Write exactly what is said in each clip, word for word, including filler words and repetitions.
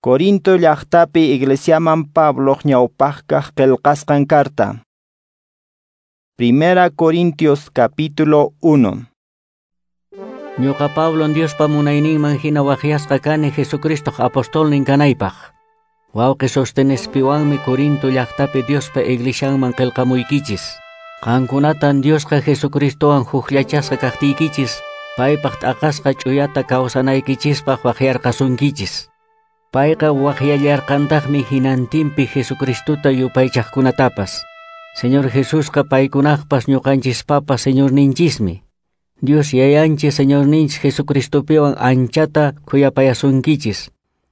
Corinto llaqtapi iglesiaman Pabloq ñawpaqkaq qillqasqan carta. Primera Corintios capítulo uno. Ñuqa Pablo Diospa munayninman hina waqyasqa kani Jesucristoq apostolnin kanaypaq. Wawqi Sostenespiwanmi Corinto llaqtapi Diospa iglesianman qillqamuykichis. Qankunatan Diosqa Jesucristowan hukllachasqa kaqtiykichis, paypaq t'aqasqa ch'uyata kawsanaykichispaq waqyarqasunkichis. Payqa waqyallarqantaqmi hinantinpi Jesucristota yupaychaqkunatapas. Señor Jesusqa paykunaqpas ñuqanchispapas Señorninchismi. Dios yayanchis Señorninchis Jesucristopiwan anchata khuyapayasunkichis,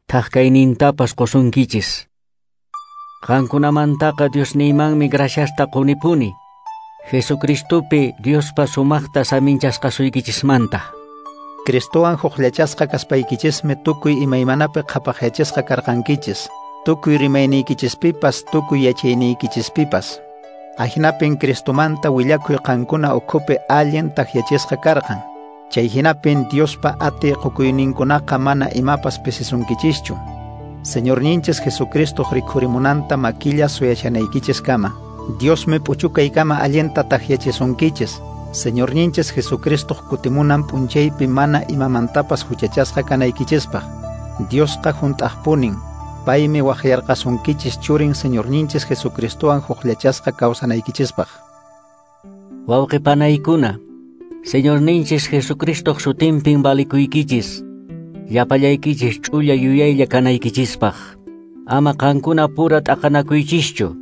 thaqkaynintapas qusunkichis. Qankunamantaqa Diosniymanmi graciasta qunipuni, Jesucristopi Diospa sumaqta saminchasqasuykichismanta. Cristowan hukllachasqa kaspaykichismi tukuy imaymanapi qhapaqyachisqa karqankichis, tukuy rimayniykichispipas, tukuy yachayniykichispipas. Ahinapin Cristomanta willakuy qankuna ukhupi allin takyachisqa karqan. Chay hinapin Diospa atiy qukuyninkunaqa mana imapas pisisunkichischu. Señorninchis Jesucristo rikhurimunanta makilla suyashanaykichiskama. Diosmi p'uchukaykama allinta takyachisunkichis. Señorninchis Jesucristo kutimunan p'unchaypi mana imamantapas huchachasqa kanaykichispaq. Diosqa hunt'aqpunin. Paymi waqyarqasunkichis churin Señorninchis Jesucristowan hukllachasqa kawsanaykichispaq. Wawqi panaykuna, Señorninchis Jesucristoq sutinpin valikuykichis, llapallaykichis ch'ulla yuyaylla kanaykichispaq. Ama qankuna pura t'aqanakuychischu,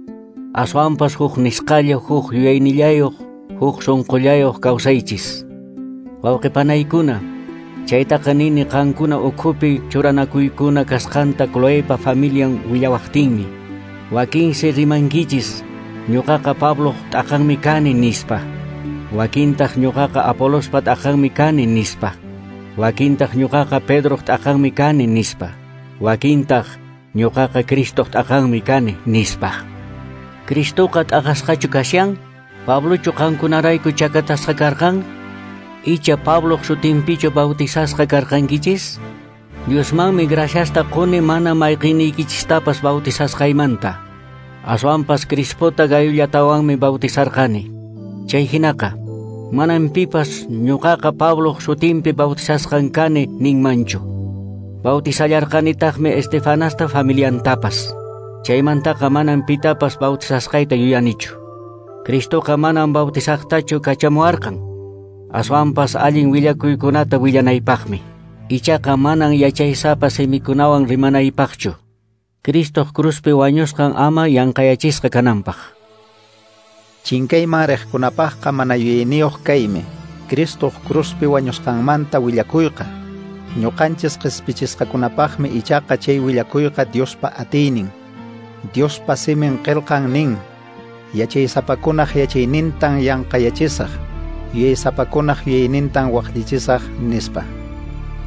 aswanpas huk nisqalla, huk yuyaynillayuq, huk sunqullayuq kawsaychis. Wawqi panaykuna, chaytaqa nini qankuna ukhupi churanakuykuna kasqanta Cloepa familian willawaqtinmi. Wakinsi rimankichis, ñuqaqa Pabloq t'aqanmi kani nispa. Wakintaq ñuqaqa Apolospa t'aqanmi kani nispa. Wakintaq ñuqaqa Pedroq t'aqanmi kani nispa. Wakintaq ñuqaqa Cristoq t'aqanmi kani nispa. Cristoqa t'aqasqachu kashan? Pablochu qankunarayku chakatasqa karqan? Icha Pabloq sutinpichu bautizasqa karqankichis? Diosmanmi graciasta quni mana mayqiniykichistapas bautizasqaymanta. Aswanpas Crispota Gayullatawanmi bautizarqani. Chay hinaqa, manan pipas ñuqaqa Pabloq sutinpi bautizasqan kani ninmanchu. Bautizallarqanitaqmi Estefanasta familiantapas. Chaymantaqa manan pitapas bautizasqayta yuyanichu. Cristoqa manan bautizaqtachu kachamuarqan. Aswanpas allin willakuykunata willanaypaqmi. Ichaqa manan yachaysapa simikunawan rimanaypaqchu. Cristoq cruzpi wañusqan ama yanqayachisqa kananpaq. Chinkayman riqkunapaqqa mana yuyayniyuq kaymi, Cristoq cruzpi wañusqanmanta willakuyqa. Ñuqanchis qispichisqakunapaqmi ichaqa chay willakuyqa Diospa atiynin. Diospa simin qillqan nin, yachaysapakunaq yachaynintan yanqayachisaq, yuyaysapakunaq yuyaynintan waqllichisaq nispa.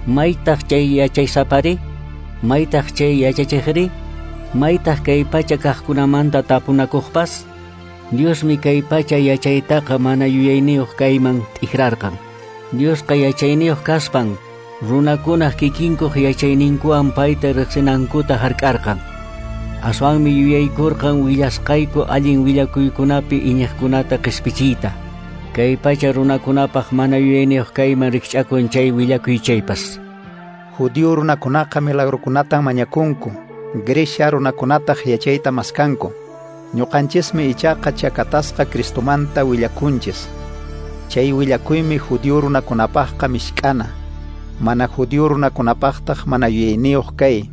Maytaq chay yachaysapari? Maytaq chay yachachiqri? Maytaq kay pacha kaqkunamanta tapunakuqpas? Diosmi kay pacha yachaytaqa mana yuyayniyuq kayman t'ikrarqan. Diosqa yachayniyuq kaspan, runakunaq kikinkuq yachayninkuwan payta riqsinankuta hark'arqan. Aswanmi yuyaykurqan willasqayku allin willakuykunapi iñiqkunata qispichiyta. Kay pacha runakunapaq mana yuyayniyuq kayman rikch'akun chay willakuy chaypas. Judío runakunaqa milagrukunatan mañakunku, Grecia runakunataq yachayta maskanku. Ñuqanchismi ichaqa chakatasqa Cristomanta willakunchis. Chay willakuymi judío runakunapaqqa mishk'ana, mana judío runakunapaqtaq mana yuyayniyuq kay.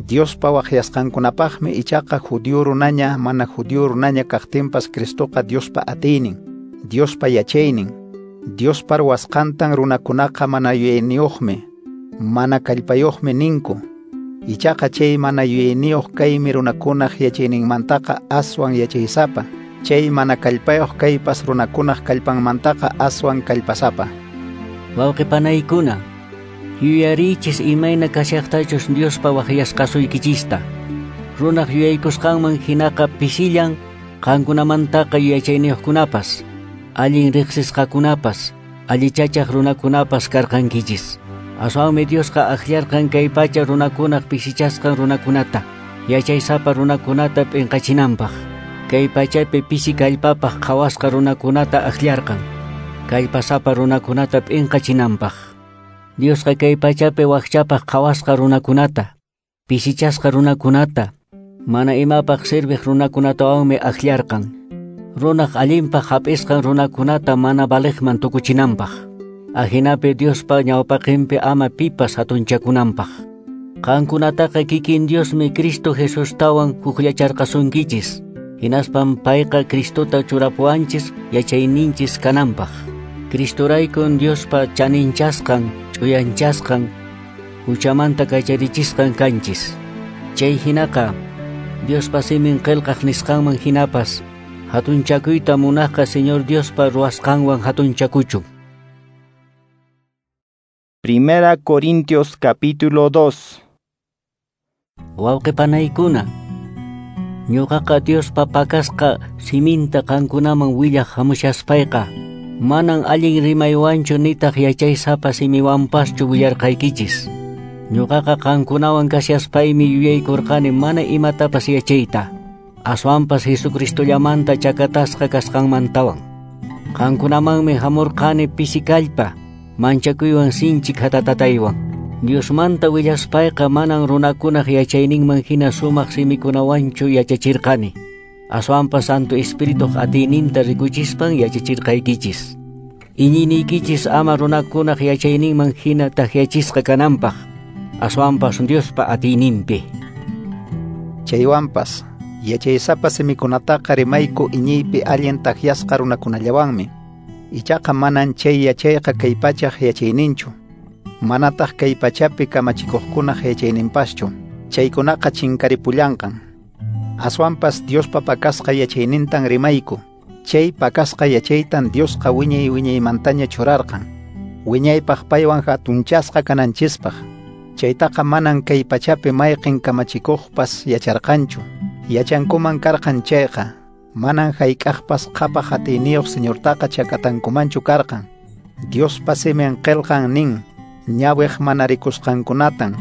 Diospa waqyasqankunapaqmi ichaqa judío runaña mana judío runaña kaqtinpas Cristoqa Diospa atiynin, Diospa yachaynin. Diospa ruwasqantan runakunaqa mana yuyayniyuqmi, mana kallpayuqmi ninku. Ichaqa chay mana yuyayniyuq kaymi runakunaq yachayninmantaqa aswan yachaysapa. Chay mana kallpayuq kaypas runakunaq kallpanmantaqa aswan kallpasapa. Wawqi panaykuna, yuyariychis imayna kashaqtachus Diospa waqyasqasuykichista. Runaq yuyaykusqanman hinaqa pisillan qankunamantaqa yachayniyuqkunapas, allin riqsisqakunapas, allichachaq runakunapas karqankichis. Aswanmi Diosqa akllarqan kay pacha runakunaq pisichasqan runakunata, yachaysapa runakunata p'inqachinanpaq. Kay pachapi pisi kallpapaq qhawasqa runakunata akllarqan, kallpasapa runakunata p'inqachinanpaq. Diosqa kay pachapi wakchapaq qhawasqa runakunata, pisichasqa runakunata, mana imapaq serviq runakunatawanmi akllarqan. Runaq allinpaq hap'isqan runakunata mana valiqman tukuchinanpaq. Ajinapi Diospa ñawpaqinpi ama pipas hatunchakunanpaq. Qankunataqa kikin Diosmi Cristo Jesustawan hukllacharqasunkichis. Hinaspan payqa Cristota churapuwanchis yachayninchis kananpaq. Cristoraykun Diospa chaninchasqan, ch'uyanchasqan, huchamanta kacharichisqan kanchis. Chay hinaqa Diospa simin qillqaq nisqanman hinapas hatunchakuyta munaqqa Señor Diospa ruwasqanwan hatunchakuchun. Primera Corintios capítulo dos. Wawqi panaykuna, ñuqaqa Diospa pakasqa siminta qankunaman willaq hamushaspayqa, manan allin rimaywanchu nitaq yachaysapa simiwanpaschu willarqaykichis. Ñuqaqa qankunawan kashaspaymi yuyaykurqani mana imatapas yachayta, aswanpas Jesucristollamanta chakatasqa kasqanmantawan. Qankunamanmi hamurqani pisi kallpa, manchakuywan sinchi khatatataywan. Diosmanta willaspayqa manan runakunaq yachayninman hina sumaq simikunawanchu yachachirqani. Aswanpas Santo Espirituq atiyninta rikuchispan yachachirqaykichis. Iñiniykichis ama runakunaq yachayninman hina takyachisqa kananpaq, aswanpas Diospa atiyninpi. Chaywanpas yachaysapa simikunataqa rimayku iñiypi allin takyasqa runakunallawanmi. Ichaqa manan chay yachayqa kay pachaq yachayninchu, manataq kay pachapi kamachikuqkunaq yachayninpaschu. Chaykunaqa chinkaripullanqan. Aswanpas Diospa pakasqa yachaynintan rimayku. Chay pakasqa yachaytan Diosqa wiñay wiñaymantaña churarqan, wiñaypaq paywan hatunchasqa kananchispaq. Chaytaqa manan kay pachapi mayqin kamachikuqpas yacharqanchu. Yachankuman karqan chayqa, manan hayk'aqpas qhapaq atiyniyuq Señortaqa chakatankumanchu karqan. Diospa simin qillqan nin, ñawiq mana rikusqankunatan,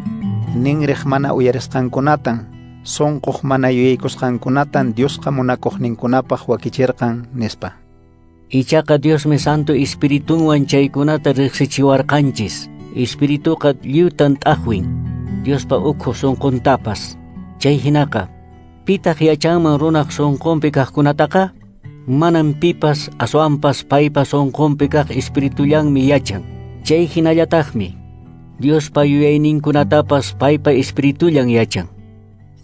ninriq mana uyarisqankunatan, sunquq mana yuyaykusqankunatan Diosqa munakuqninkunapaq wakichirqan, nispa. Ichaqa Diosmi Santo Espiritunwan chaykunata riqsichiwarqanchis. Espirituqa lliwtan t'aqwin, Diospa ukhu sunquntapas. Chay hinaqa, pitaq yachanman runaq sunqunpi kaqkunataqa? Manan pipas, aswanpas paypa sunqunpi kaq espiritullanmi yachan. Chay hinallataqmi Diospa yuyayninkunatapas paypa espiritullan yachan.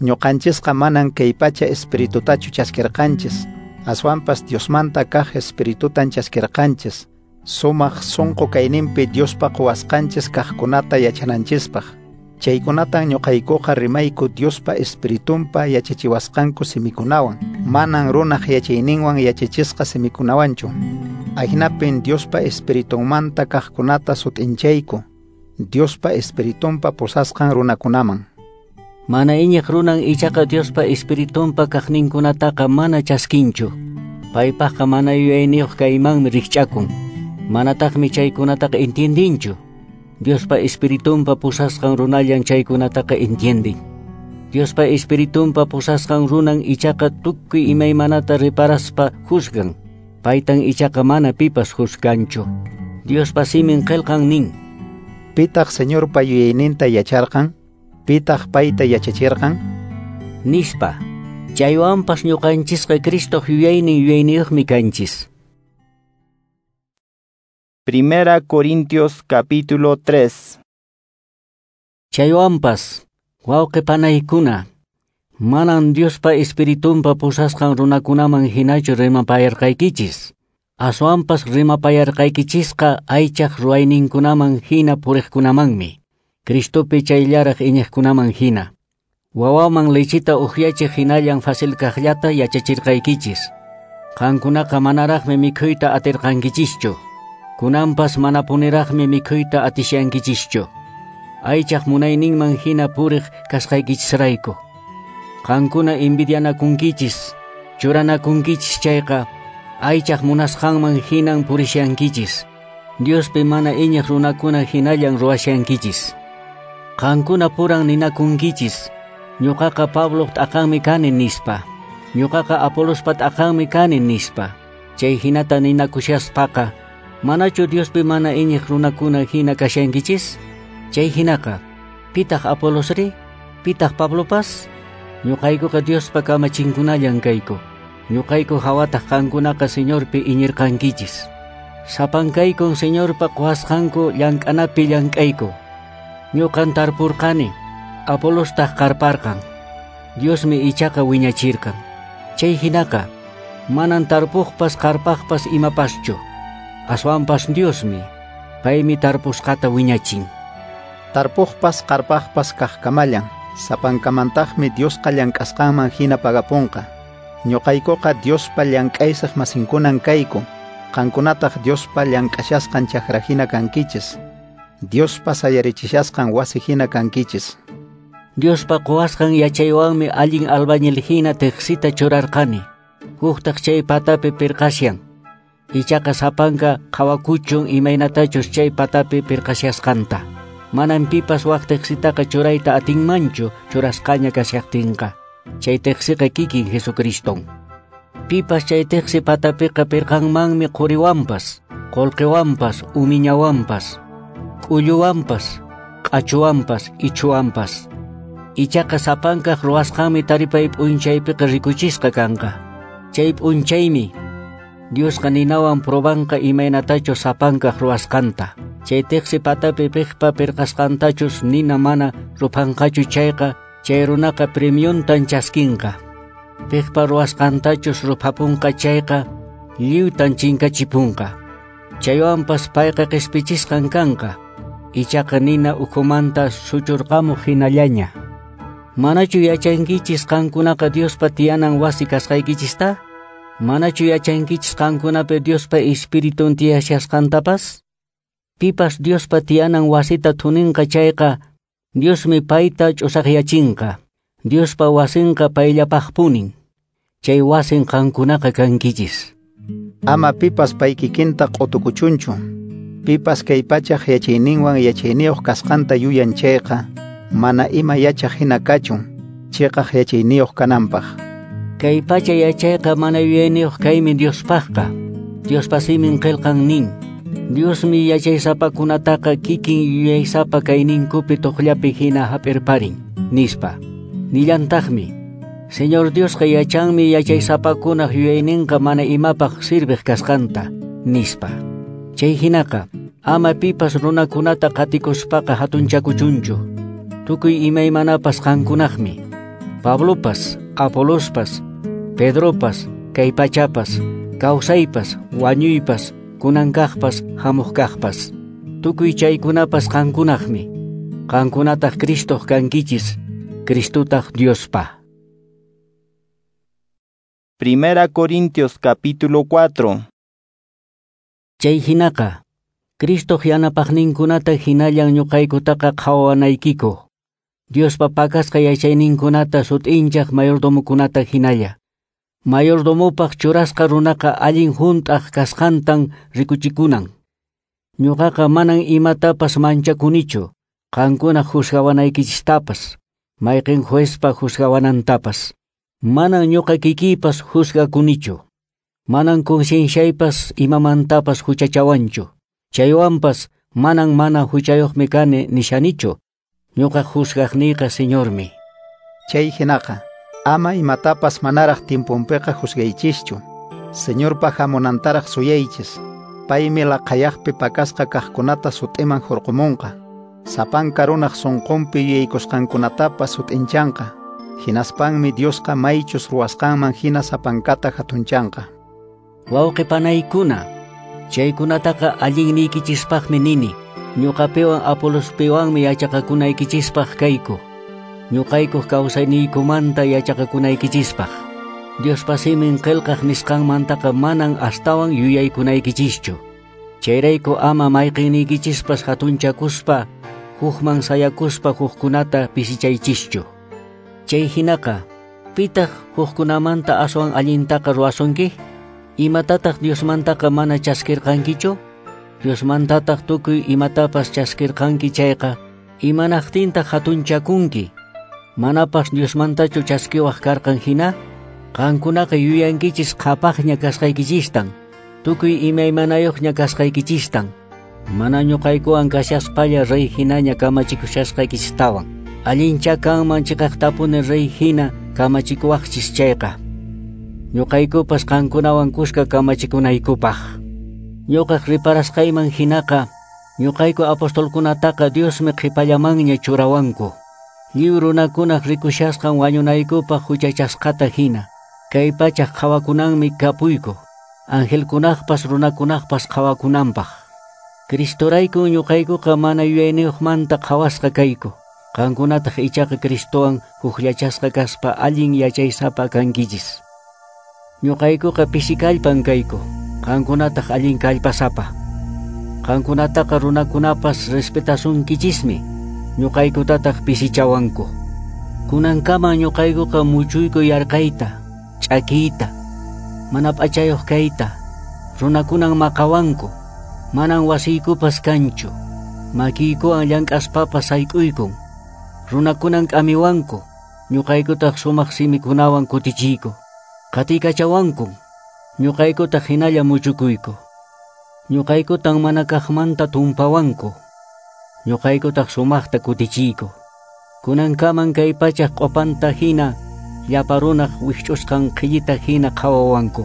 Ñuqanchisqa manan kay pacha espiritutachu chaskirqanchis, aswanpas Diosmanta kaq espiritutan chaskirqanchis, sumaq sunqu kayninpi Diospa quwasqanchis kaqkunata yachananchispaq. Chaykunatan ñuqaykuqa rimayku Diospa espiritunpa yachachiwasqanku simikunawan, manan runaq yachayninwan yachachisqa simikunawanchu. Ahinapin Diospa espiritunmanta kaqkunata sut'inchayku, Diospa espiritunpa pusasqan runakunaman. Mana iñiq runan ichaqa Diospa espiritunpa kaqninkunataqa mana chaskinchu. Paypaqqa mana yuyayniyuq kaymanmi rikch'akun. Manataqmi chaykunataqa entiendinchu. Diospa espiritunpa pusasqan runallan chaykunataqa entiendin. Diospa espiritunpa pusasqan runan ichaqa tukuy imaymanata reparaspa juzgan. Paytan ichaqa mana pipas juzganchu. Diospa simin qillqan nin: Pitaq Señorpa yuyayninta yacharqan? Pitaq payta yachachirqan? Nispa. Chaywanpas ñuqanchisqa Cristoq yuyaynin yuyayniyuqmi kanchis. Primera Corintios capítulo tres. Chaywanpas, wawqi panaykuna, manan Diospa espiritunpa pusasqan runakunaman hinachu rimapayarqaykichis. Aswanpas rimapayarqaykichisqa aychaq ruwayninkunaman hina puriqkunamanmi, Cristopi chayllaraq iñiqkunaman hina. Wawaman lechita ukyachiq hinallan fácil kaqllata yachachirqaykichis. Qankunaqa manaraqmi mikhuyta atirqankichischu. Kunanpas manapuniraqmi mikhuyta atishankichischu. Aychaq munayninman hina puriq kasqaykichisrayku. Qankuna envidianakunkichis, churanakunkichis chayqa aychaq munasqanman hinan purishankichis. Diospi mana iñiq runakuna hinallan ruwashankichis. Qankuna puran ninakunkichis, ñuqaqa Pabloq t'aqanmi kani nispa, ñuqaqa Apolospa t'aqanmi kani nispa. Chay hinata ninakushaspaqa, manachu Diospi mana iñiq runakuna hina kashankichis? Chay hinaqa, pitaq Apolosri? Pitaq Pablopas? Ñuqaykuqa Diospa kamachinkunallan kayku. Ñuqayku hawataq qankunaqa Señorpi iñirqankichis. Sapankaykun Señorpa quwasqanku llank'anapi llank'ayku. Ñuqan tarpurqani, Apolostaq qarparqan. Diosmi ichaqa wiñachirqan. Chay hinaqa, manan tarpuqpas qarpaqpas imapaschu. Aswanpas Diosmi, paymi tarpusqata wiñachin. Tarpuqpas qarpaqpas kaqkamallan, sapankamantaqmi Diosqa llank'asqanman hina pagapunqa. Ñuqaykuqa Diospa llank'aysaq masinkunan kayku, qankunataq Diospa llank'ashasqan chakra hina kankichis, Diospa sayarichishasqan wasi hina kankichis. Diospa quwasqan yachaywanmi allin albañil hina teqsita churarqani, huktaq chay patapi pirqashan. Ichaqa sapanka qhawakuchun imaynatachus chay patapi pirqashasqanta. Manan pipas wak teqsitaqa churayta atinmanchu churasqaña kashaqtinqa. Chay teqsiqa kikin Jesucriston. Pipas chay teqsi patapiqa pirqanmanmi quriwanpas, qullqiwanpas, umiñawanpas, k'ulluwanpas, q'achuwanpas, ichuwanpas. Ichaqa sapankaq ruwasqanmi taripay p'unchaypiqa rikuchisqa kanqa. Chay p'unchaymi Diosqa ninawan probanqa imaynatachus sapankaq ruwasqanta. Chay teqsi patapi piqpa pirqasqantachus nina mana ruphanqachu chayqa, chay runaqa premiontan chaskinqa. Piqpa ruwasqantachus ruphapunqa chayqa, lliwtan chinkachipunqa. Chaywanpas payqa qispichisqan kanqa, ichaqa nina ukhumanta suchurqamuq hinallaña. Manachu yachankichis qankunaqa Diospa tiyanan wasi kasqaykichista? Manachu yachankichis qankunapi Diospa Espiritun tiyashasqantapas? Pipas Diospa tiyanan wasita thuninqa chayqa, Diosmi payta ch'usaqyachinqa. Diospa wasinqa payllapaqpunin. Chay wasin qankunaqa kankichis. Ama pipas pay kikinta q'utukuchunchu. Pipas kay pachaq yachayninwan yachayniyuq kasqanta yuyan chayqa, mana ima yachaq hina kachun, chiqaq yachayniyuq kananpaq. Kay pacha yachayqa mana yuyayniyuq kaymi Diospaqqa. Diospa simin qillqan nin, Diosmi yachaysapakunataqa kikin yuyaysapa kayninkupi tuqllapi hina hap'irparin, nispa. Nillantaqmi, Señor Diosqa yachanmi yachaysapakunaq yuyayninqa mana imapaq sirviq kasqanta, nispa. Chay hinaqa, ama pipas runakunata qatikuspaqa hatunchakuchunchu. Tukuy imaymanapas qankunaqmi. Pablopas, Apolospas, Pedropas, kay pachapas, kawsaypas, wañuypas, kunankaqpas, hamuqkaqpas. Tukuy chaykunapas qankunaqmi. Qankunataq Cristoq kankichis, Cristotaq Diospa. Primera Corintios capítulo cuatro. Chay hinaqa, Cristoq yanapaqninkunata hinallan ñuqaykutaqa qhawanaykiku. Diospa pakasqa yachayninkunata sut'inchaq mayordomokunata hinalla. Mayordomopaq churasqa runaqa allin hunt'aq kasqantan rikuchikunan. Ñuqaqa manan imatapas manchakunichu, qankuna juzgawanaykichistapas, mayqin juezpa juzgawanantapas. Manan ñuqa kikiypas juzgakunichu. Manan concienciaypas imamantapas huchachawanchu. Chaywanpas manan mana huchayuqmi kani nishanichu. Ñuqa juzgaqniyqa Señormi. Chay hinaqa, ama imatapas manaraq tiemponpiqa juzgaychischu. Señorpa hamunantaraq suyaychis. Paymi laqhayaqpi pakasqa kaqkunata sut'iman hurqumunqa. Sapanka runaq sunqunpi yuyaykusqankunatapas sut'inchanqa. Hinaspanmi Diosqa maychus ruwasqanman hina sapankata hatunchanqa. Wawqi panaykuna, chaykunataqa allinniykichispaqmi nini. Ñuqapiwan Apolospiwanmi yachaqakunaykichispaq kayku. Ñuqaykuq kawsayniykumanta yachaqakunaykichispaq. Diospa simin qillqaq nisqanmantaqa manan astawan yuyaykunaykichischu. Chayrayku ama mayqinniykichispas hatunchakuspa, hukman sayakuspa hukkunata pisichaychischu. Chay hinaqa, pitaq hukkunamanta aswan allintaqa ruwasunki? Imatataq Diosmantaqa mana chaskirqankichu? Diosmantataq tukuy imatapas chaskirqanki chayqa, imanaqtintaq hatunchakunki? Manapas Diosmantachu chaskiwaq karqan hina? Qankunaqa yuyankichis qhapaqña kasqaykichistan, tukuy imaymanayuqña kasqaykichistan, mana ñuqaykuwan kashaspalla rey hinaña kamachikushasqaykichistawan. Allincha kanman chiqaqtapuni rey hina kamachikuwaqchis chayqa. Ñuqaykupas qankunawan kuska kamachikunaykupaq. Ñuqaq riparasqayman hinaqa, ñuqayku apostolkunataqa Diosmi qhipallamanña churawanku. Lliw runakunaq rikushasqan wañunaykupaq huchachasqata hina. Kay pachaq qhawakunanmi kapuyku, angelkunaqpas runakunaqpas qhawakunanpaq. Cristoraykun ñuqaykuqa mana yuyayniyuqmanta qhawasqa kayku. Qankunataq ichaqa Cristowan hukllachasqa kaspa allin yachaysapa kankichis. Ñuqaykuqa pisi kallpan kayku, qankunataq allin kallpasapa. Qankunataqa runakunapas respetasunkichismi, ñuqaykutataq pisichawanku. Kunankaman ñuqaykuqa muchuyku yarqayta, ch'akiyta, mana p'achayuq kayta, runakunan maqawanku, manan wasiykupas kanchu, makiykuwan llank'aspapas sayk'uykun, runakunan k'amiwanku, ñuqaykutaq sumaq simikunawan kutichiyku, qatiykachawankun, ñuqaykutaq hinalla muchukuyku. Ñuqaykutan mana kaqmanta tumpawanku, ñuqaykutaq sumaqta kutichiyku. Kunankaman kay pachaq q'upanta hina, llapa runaq wikch'usqan qhillita hina qhawawanku.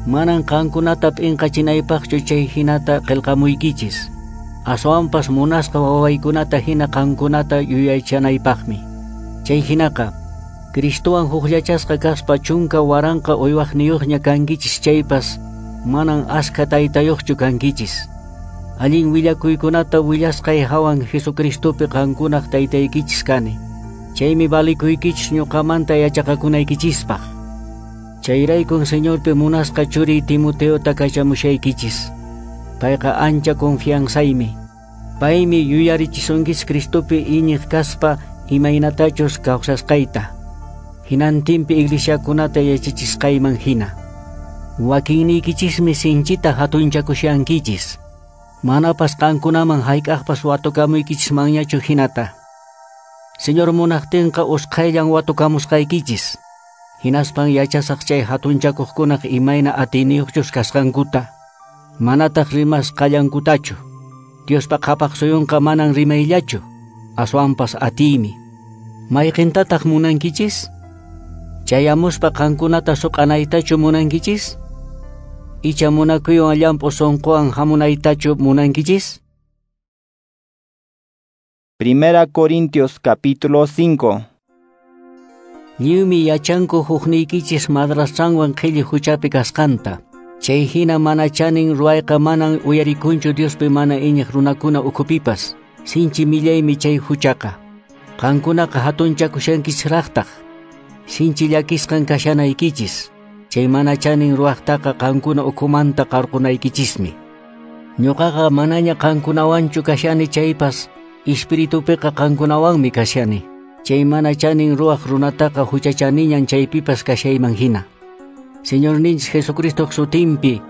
Manan qankunata p'inqachinaypaqchu chay hinata qillqamuykichis. Aswanpas munasqa wawaykunata hina qankunata yuyaychanaypaqmi. Chay hinaqa, Cristowan hukllachasqa kaspa chunka waranqa uywaqniyuqña kankichis chaypas, manan askha taytayuqchu kankichis. Allin willakuykunata willasqay hawan Jesucristopi qankunaq taytaykichis kani. Chaymi valikuykichis ñuqamanta yachaqakunaykichispaq. Chayraykun Señorpi munasqa churiy Timoteota kachamushaykichis. Payqa ancha confianzaymi. Paymi yuyarichisunkichis Cristopi iñiq kaspa imaynatachus kawsasqayta. Hinantinpi iglesiakunata yachachisqayman hina. Wakinniykichismi sinchita hatunchakushankichis. Manapas qankunaman hayk'aqpas watukamuykichismanñachu hinata. Señor munaqtinqa usqhayllan watukamusqaykichis. Hinaspan yachasaq chay hatunchakuqkunaq imayna atiyniyuqchus kasqankuta. Manataq rimasqallankutachu. Diospa qhapaq suyunqa manan rimayllachu, aswanpas atiymi. Mayqintataq munankichis? Chayamuspa qankunata suq'anaytachu munankichis? Icha munakuywan llamp'u sunquwan hamunaytachu munankichis? Primera Corintios capítulo cinco. Lliwmi yachanku hukniykichis madrastranwan qhilli huchapi kasqanta. Chay hina mana chanin ruwayqa manan uyarikunchu Diospi mana iñiq runakuna ukhupipas. Sinchi millaymi chay huchaqa. Qankunaqa hatunchakushankichisraqtaq. Sinchi llakisqan kashanaykichis. Chay mana chanin ruwaqtaqa qankuna ukhumanta qarqunaykichismi. Ñuqaqa manaña qankunawanchu kashani chaypas, espiritupiqa qankunawanmi kashani. Chay mana chanin ruwaq runataqa huchachaniñan chaypipas kashayman hina. Señorninchis Jesucristoq sutinpi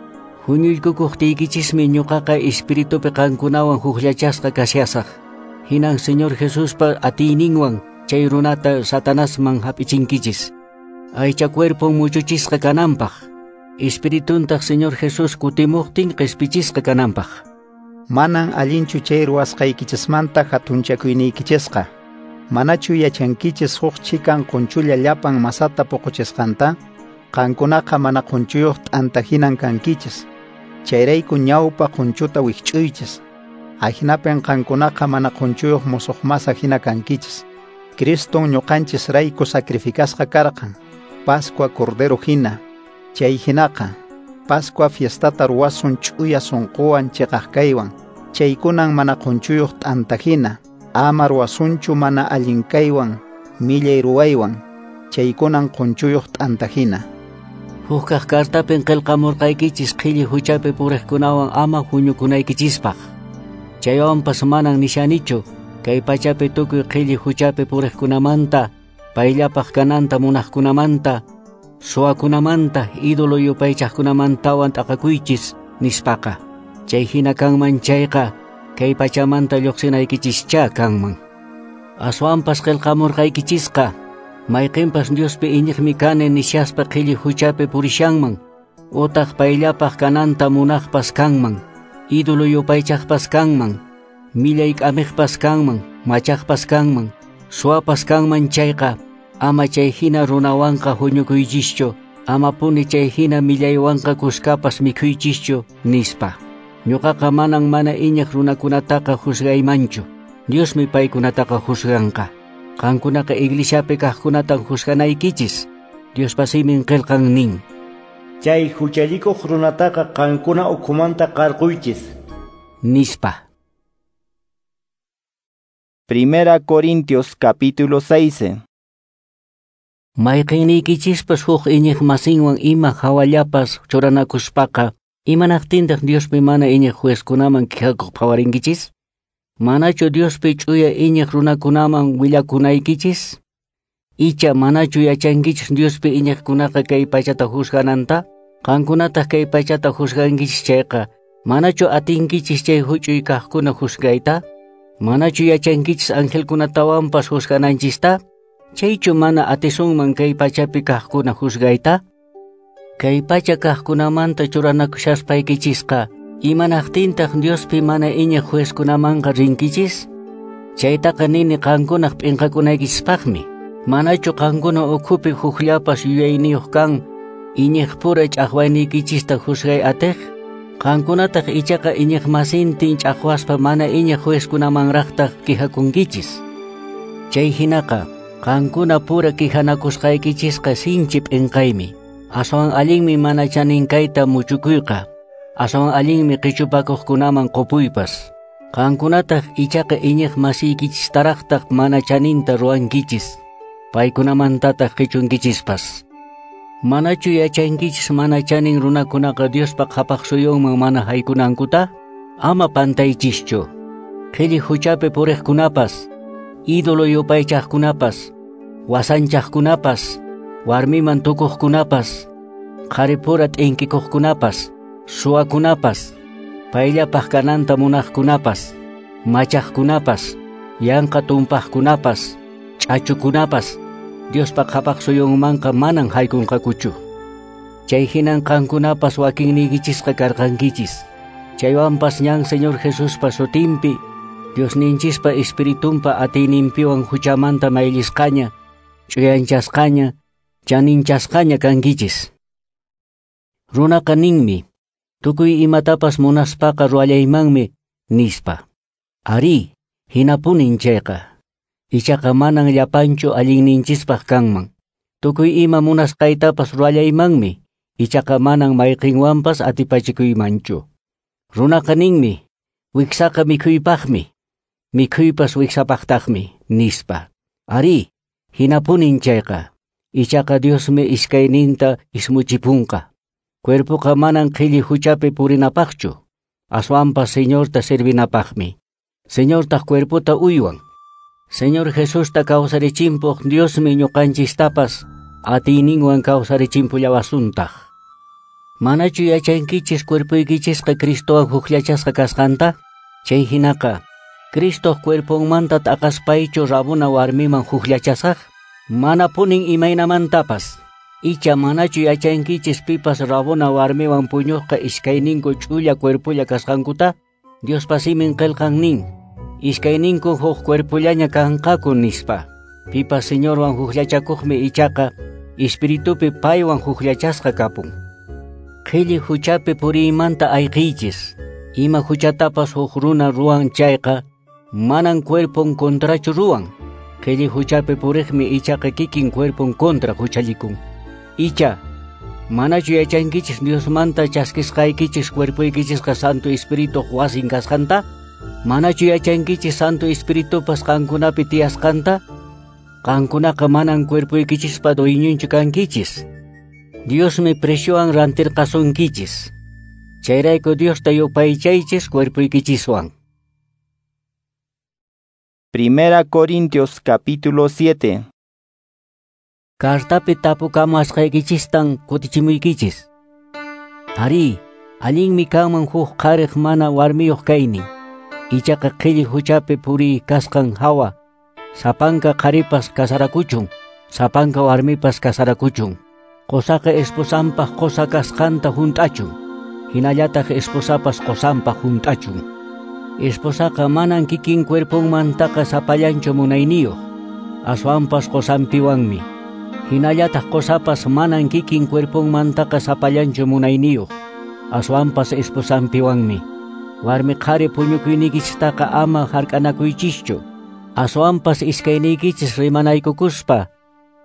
huñuykukuqtiykichismi ñuqaqa espiritupi qankunawan hukllachasqa kashasaq. Hinan Señor Jesuspa atiyninwan chay runata Satanasman hap'ichinkichis. Aycha cuerpon muchuchisqa kananpaq, espirituntaq Señor Jesús kutimuqtin qhispichisqa kananpaq. Manan allinchu chay ruwasqaykichismanta hatunchakuyniykichisqa. Manachu yachankichis huk chikan qunchulla llapan masata puquchisqanta? Qankunaqa mana qunchuyuq t'anta hinan kankichis. Chayrayku ñawpa qunchuta wikch'uychis. Ahinapin qankunaqa mana qunchuyuq musuq masa hina kankichis. Criston ñuqanchis rayku sacrificasqa karqan, Pascua Cordero hina. Chay hinaqa, Pascua fiestata ruwasun ch'uya sunquwan chiqaq kaywan. Chaykunan mana qunchuyuq t'anta hina, ama ruwasunchu mana allin kaywan, millay ruwaywan. Chaykunan qunchuyuq t'anta hina. Hukaq kartapin qillqamurqaykichis qhilli huchapi puriqkunawan ama huñukunaykichispaq. Chaywanpas manan nishanichu kay pachapi tukuy qhilli huchapi puriqkunamanta, payllapaq kananta munaqkunamanta, suwakunamanta, ídolo yupaychaqkunamantawan t'aqakuychis nispaqa. Chay hina kanman chayqa, kay pachamanta lluqsinaykichischá kanman. Aswanpas qillqamurqaykichisqa, mayqinpas Diospi iñiqmi kani nishaspa qhilli huchapi purishanman, utaq payllapaq kananta munaqpas kanman, ídolo yupaychaqpas kanman, millay k'amiqpas kanman, machaqpas kanman, suwapas kanman chayqa, ama chay hina runawanqa huñukuychischu, ama puni chay hina millaywanqa kuskapas mikhuychischu, nispa. Ñuqaqa manan mana iñiq runakunataqa juzgaymanchu. Diosmi paykunataqa juzganqa. Qankunaqa iglesiapi kaqkunatan juzganaykichis. Diospa simin qillqan nin: Chay huchallikuq runataqa qankuna ukhumanta qarquychis, nispa. Primera Corintios capítulo seis. Mayqinniykichispas huk iñiq masinwan ima hawallapas churanakuspaqa, imanaqtintaq Diospi mana iñiq juezkunaman quejakuq phawarinkichis? Manachu Diospi ch'uya iñiq runakunaman willakunaykichis? Icha manachu yachankichis Diospi iñiqkunaqa kay pachata juzgananta? Qankunataq kay pachata juzgankichis chayqa, manachu atinkichis chay huch'uy kaqkuna juzgayta? Manachu yachankichis angelkunatawanpas juzgananchista? Chaychu mana atisunman kay pachapi kaqkuna juzgayta? Kay pacha kaqkunamanta churanakushaspaykichishqa, imanaqtintaq Diospi mana iñiq juezkunamanqa rinkichis? Chaytaqa nini qankunaq p'inqakunaykichispaqmi. Manachu qankuna ukhupi hukllapas yuyayniyuq kan iñiqpura ch'aqwayniykichista juzgay atiq? Qankunataq ichaqa iñiq masintin ch'aqwaspa mana iñiq juezkunamanraqtaq quejakunkichis. Chay hinaqa qankuna pura quejanakusqaykichisqa sinchi p'inqaymi. Aswan allinmi mana chanin kayta muchukuyqa. Aswan allinmi qichupakuqkunaman qupuypas. Qankunataq ichaqa iñiq masiykichistaraqtaq mana chaninta ruwankichis. Paykunamantataq qichunkichispas. Manachu yachankichis mana chanin runakunaqa Diospa qhapaq suyunman mana haykunankuta? Ama pantaychischu. Qhilli huchapi puriqkunapas, ídolo yupaychaqkunapas, wasanchaqkunapas, warmiman tukuqkunapas, qharipura t'inkikuqkunapas, suwakunapas, payllapaq kananta munaqkunapas, machaqkunapas, yanqa tumpaqkunapas, ch'achukunapas, Diospa qhapaq suyunmanqa manan haykunqakuchu. Chay hinan qankunapas wakinniykichisqa karqankichis. Chaywanpas ñan Señor Jesuspa sutinpi, Diosninchispa Espiritunpa atiyninpiwan huchamanta mayllisqaña, ch'uyanchasqaña, chaninchasqaña kankichis. Runaqa ninmi, tukuy imatapas munaspaqa ruwallaymanmi, nispa. Ari, hinapunin chayqa. Ichaqa manan llapanchu allinninchispaq kanman. Tukuy ima munasqaytapas ruwallaymanmi, ichaqa manan mayqinwanpas atipachikuymanchu. Runaqa ninmi, wiksaqa mikhuypaqmi, mikhuypas wiksapaqtaqmi, nispa. Ari, hinapunin chayqa. Ichaqa Diosmi iskayninta ismuchipunqa. Cuerpoqa manan qhilli huchapi purinapaqchu, aswanpas Señorta servinapaqmi. Señortaq cuerpota uywan. Señor Jesusta kawsarichimpuq Diosmi ñuqanchistapas atiyninwan kawsarichimpullawasuntaq. Manachu yachankichis cuerpoykichisqa Cristowan hukllachasqa kasqanta? Chay hinaqa, Cristoq cuerponmanta t'aqaspaychu rabuna warmiman hukllachasaq? Mana punin imaynamantapas. Icha manachu yachankichis pipas rabuna warmiwan puñuqqa iskayninku ch'ulla cuerpolla kasqankuta? Diospa simin qillqan nin, iskayninku huk cuerpollaña kanqaku, nispa. Pipas Señorwan hukllachakuqmi ichaqa espiritupi paywan hukllachasqa kapun. Qhilli huchapi puriymanta ayqiychis. Ima huchatapas huk runa ruwan chayqa, manan cuerpon contrachu ruwan. Qhilli huchapi puriqmi ichaqa kikin cuerpon contra huchallikun. Icha, manachu yachankichis Diosmanta chaskisqaykichis cuerpoykichisqa Santo Espirituq wasin kasqanta? Manachu yachankichis Santo Espiritupas qankunapi tiyasqanta? Qankunaqa manan cuerpoykichispa dueñonchu kankichis. Diosmi preciowan rantirqasunkichis. Chayrayku Diosta yupaychaychis cuerpoykichiswan. Primera Corintios capítulo siete. Cartapi tapukamasqaykichistan kutichimuykichis. Ari, Allinmi kanman huk qhariq mana warmiyuq kaynin. Ichaqa qhilli huchapi puriy kasqan hawa, sapanka qharipas kasarakuchun, sapanka warmipas kasarakuchun. Qosaqa esposanpaq qosa kasqanta hunt'achun, hinallataq esposapas qosanpaq hunt'achun. Esposaqa manan kikin cuerponmantaqa sapallanchu munayniyuq, aswanpas qosanpiwanmi. Hinallataq qosapas manan kikin cuerponmantaqa sapallanchu munayniyuq, aswanpas esposanpiwanmi. Warmi qhari puñukuynikichistaqa ama hark'anakuychischu, aswanpas iskayniykichis rimanaykukuspa,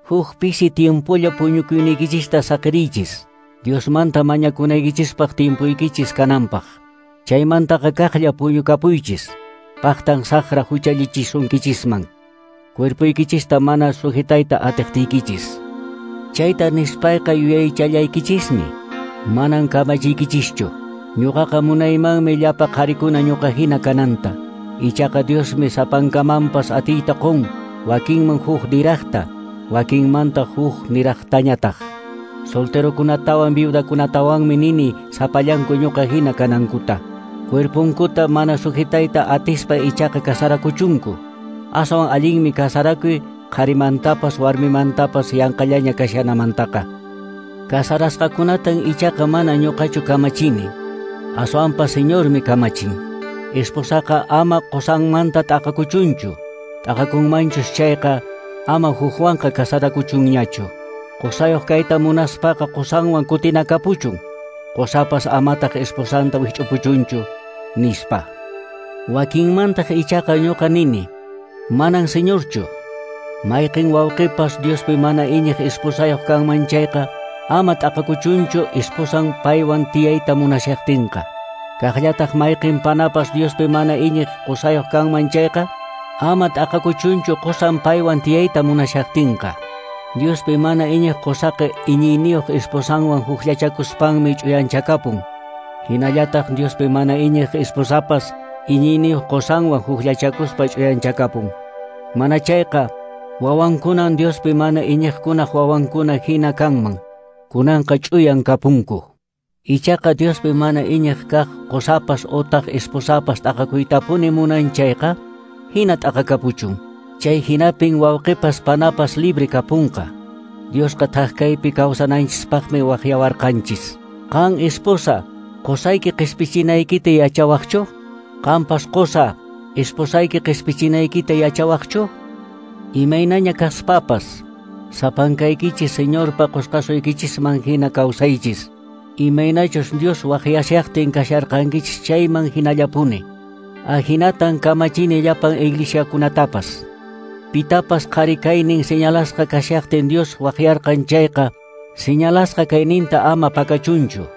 huk pisi tiempolla puñukuynikichista saqiriychis, Diosmanta mañakunaykichispaq tiempuykichis kananpaq. Chaymantaqa kaqlla puñukapuychis, paqtan saqra huchallichisunkichisman, cuerpuykichista mana sujetayta atiqtiykichis. Chayta nispayqa yuyaychallaykichismi, manan kamachiykichischu. Ñuqaqa munaymanmi llapa qharikuna ñuqa hina kananta. Ichaqa Diosmi sapankamanpas atiyta qun, wakinman huk niraqta, wakinmanta huk niraqtañataq. Solterokunatawan viudakunatawanmi nini sapallanku ñuqa hina kanankuta. Cuerponkuta mana sujetayta atispa ichaqa kasarakuchunku. Aswan allinmi kasarakuy qharimantapas warmimantapas yanqallaña kashanamantaqa. Kasarasqakunatan ichaqa mana ñuqachu kamachini, aswanpas Señormi kamachin. Esposaqa ama qosanmanta t'aqakuchunchu, t'aqakunmanchus chayqa ama hukwanqa kasarakuchunñachu. Qosayuq kayta munaspaqa qosanwan kutinakapuchun, qosapas amataq esposanta wikch'upuchunchu, nispa. Wakinmantaq ichaqa ñuqa nini, manan Señorchu. Mayqin wawqipas Diospi mana iñiq esposayuq kanman chayqa, ama t'aqakuchunchu esposan paywan tiyayta munashaqtinqa. Kaqllataq mayqin panapas Diospi mana iñiq qosayuq kanman chayqa, ama t'aqakuchunchu qosan paywan tiyayta munashaqtinqa. Diospi mana iñiq qosaqa iñiyniyuq esposanwan hukllachakuspanmi ch'uyanchakapun. Hinallataq Diospi mana iñiq esposapas iñiyniyuq qosanwan hukllachakuspa ch'uyanchakapun. Mana chayqa wawankunan Diospi mana iñiqkunaq wawankuna hina kanman, kunanqa ch'uyan kapunku. Ichaqa Diospi mana iñiq kaq qosapas otaq esposapas t'aqakuytapuni munan chayqa, hina t'aqakapuchun. Chay hinapin wawqipas panapas libre kapunqa. Diosqa thak kaypi kawsananchispaqmi waqyawarqanchis. Qan esposa, qosayki qispichinaykita yachawaqchu? Qanpas qosa, esposayki qispichinaykita yachawaqchu? Imaynaña kaspapas, sapankaykichis Señorpa qosqasuykichisman hina kawsaychis. Imaynachus Dios waqyashaqtin kasharqankichis chayman hinallapuni. Ahinatan kamachini llapan iglesiakunatapas. Pitapas qhari kaynin señalasqa kashaqtin Dios waqyarqan chayqa, señalasqa kayninta ama pakachunchu.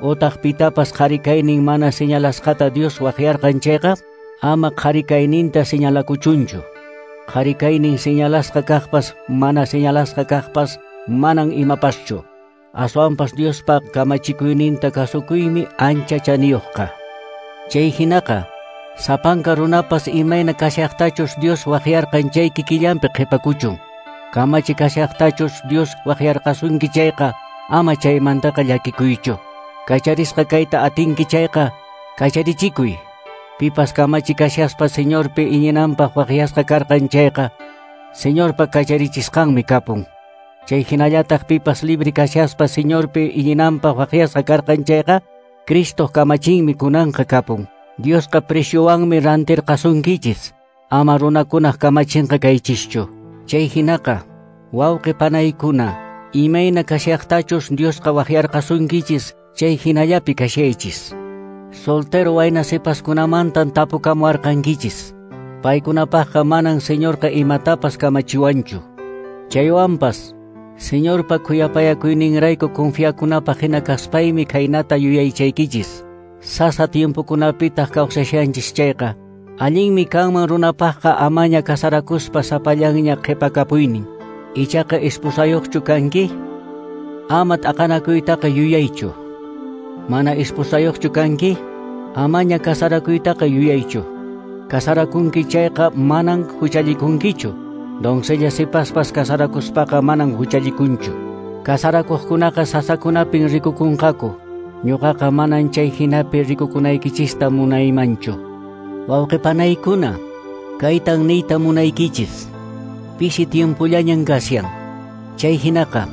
Otaq pitapas qhari kaynin mana señalasqata Dios waqyarqan chayqa, ama qhari kayninta señalakuchunchu. Qhari kaynin señalasqa kaqpas mana señalasqa kaqpas manan imapaschu. Aswanpas Diospa kamachikuyninta kasukuymi ancha chaniyuqqa. Chay hinaqa, sapanka runapas imayna kashaqtachus Dios waqyarqan chay kikillanpi qhipakuchun. Kamachi kashaqtachus Dios waqyarqasunki chayqa, ama chaymantaqa llakikuychu. Kacharisqa kayta atinki chayqa, kacharichikuy. Pipas kamachi kashaspa Señorpi iñinanpaq waqyasqa karqan chayqa, Señorpa kacharichisqanmi kapun. Chay hinallataq pipas libre kashaspa Señorpi iñinanpaq waqyasqa karqan chayqa, Cristo kamachinmi kunanqa kapun. Diosqa preciowanmi rantirqasunkichis, ama runakunaq kamachinqa kaychischu. Chay hinaqa, wawqi panaykuna, imayna kashaqtachus Diosqa waqyarqasunkichis, chay hinallapi kashaychis. Soltero wayna sipaskunamantan tapukamuwarqankichis. Paykunapaqqa manan Señorqa imatapas kamachiwanchu. Chaywanpas, Señorpa khuyapayakuyninrayku confiakunapaq hina kaspaymi khaynata yuyaychaykichis. Sasa tiempokunapitaq kawsashanchis chayqa, allinmi kanman runapaqqa amaña kasarakuspa sapallanña qhipakapuynin. Ichaqa esposayuqchu kanki? Ama t'aqanakuytaqa yuyaychu. Mana esposayuqchu kanki? Amaña kasarakuytaqa yuyaychu. Kasarakunki chayqa manan huchallikunkichu. Doncella sipaspas kasarakuspaqa manan huchallikunchu. Kasarakuqkunaqa sasakunapin rikukunqaku. Ñuqaqa manan chay hinapi rikukunaykichista munaymanchu. Wawqipanaykuna, kaytan niyta munaykichis. Pisi tiempollañan kashan. Chay hinaqa,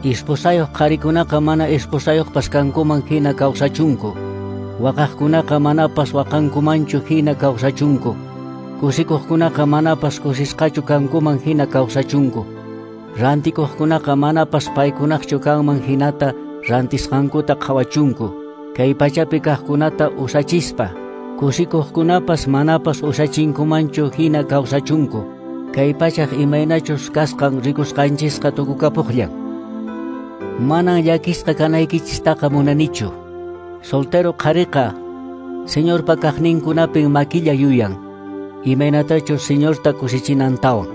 esposayuq qharikunaqa mana esposayuqpas kankuman hina kawsachunku. Waqaqkunaqa manapas waqankumanchu hina kawsachunku. Kusikuqkunaqa manapas kusisqachu kankuman hina kawsachunku. Rantikuqkunaqa manapas paykunaqchu kanman hinata rantisqankuta qhawachunku. Kay pachapi kaqkunata usachispa, kusikuqkunapas manapas usachinkumanchu hina kawsachunku. Kay pachaq imaynachus kasqan rikusqanchisqa tukukapuqllan. Manan llakisqa kanaykichistaqa munanichu. Soltero qhariqa Señorpa kaqninkunapin makilla yuyan, imaynatachus Señorta kusichinantawan.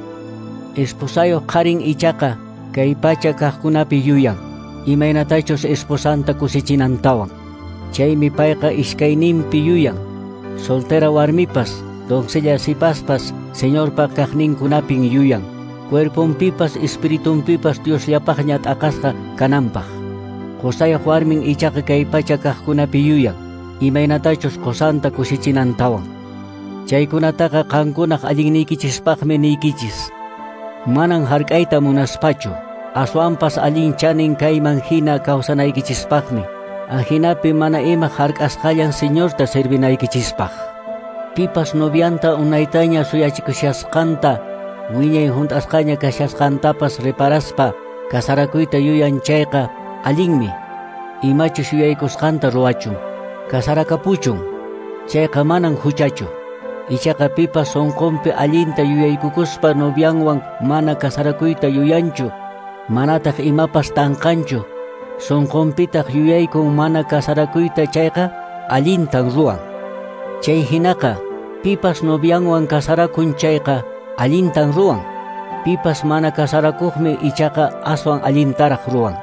Esposayuq qharin ichaqa kay pacha kaqkunapi yuyan, imaynatachus esposanta kusichinantawan. Chaymi payqa iskayninpi yuyan. Soltera warmipas, doncella sipaspas Señorpa kaqninkunapin yuyan. Cuerponpipas espiritunpipas Diosllapaqña t'aqasqa kananpaq. Qusayuq warmin ichaqa kay pacha kaqkunapi yuyan, imaynatachus qusanta kusichinantawan. Chaykunataqa qankunaq allinniykichispaqmi niykichis. Manan hark'ayta munaspachu, aswanpas allin chanin kayman hina kawsanaykichispaqmi. Ajinapi mana ima hark'asqallan Señorta servinaykichispaq. Pipas novianta unaytaña suyachikushasqanta, wiñay hunt'asqaña kashasqantapas reparaspa kasarakuyta yuyan chayqa allinmi. Imachus yuyaykusqanta ruwachun, kasarakapuchun, chayqa manan huchachu. Ichaqa pipas sunqunpi allinta yuyaykukuspa novianwan mana kasarakuyta yuyanchu, manataq imapas tanqanchu, sunqunpitaq yuyaykun mana kasarakuyta chayqa allintan ruwan. Chay hinaqa pipas novianwan kasarakun chayqa allintan ruwan. Pipas mana kasarakuqmi ichaqa aswan allintaraq ruwan.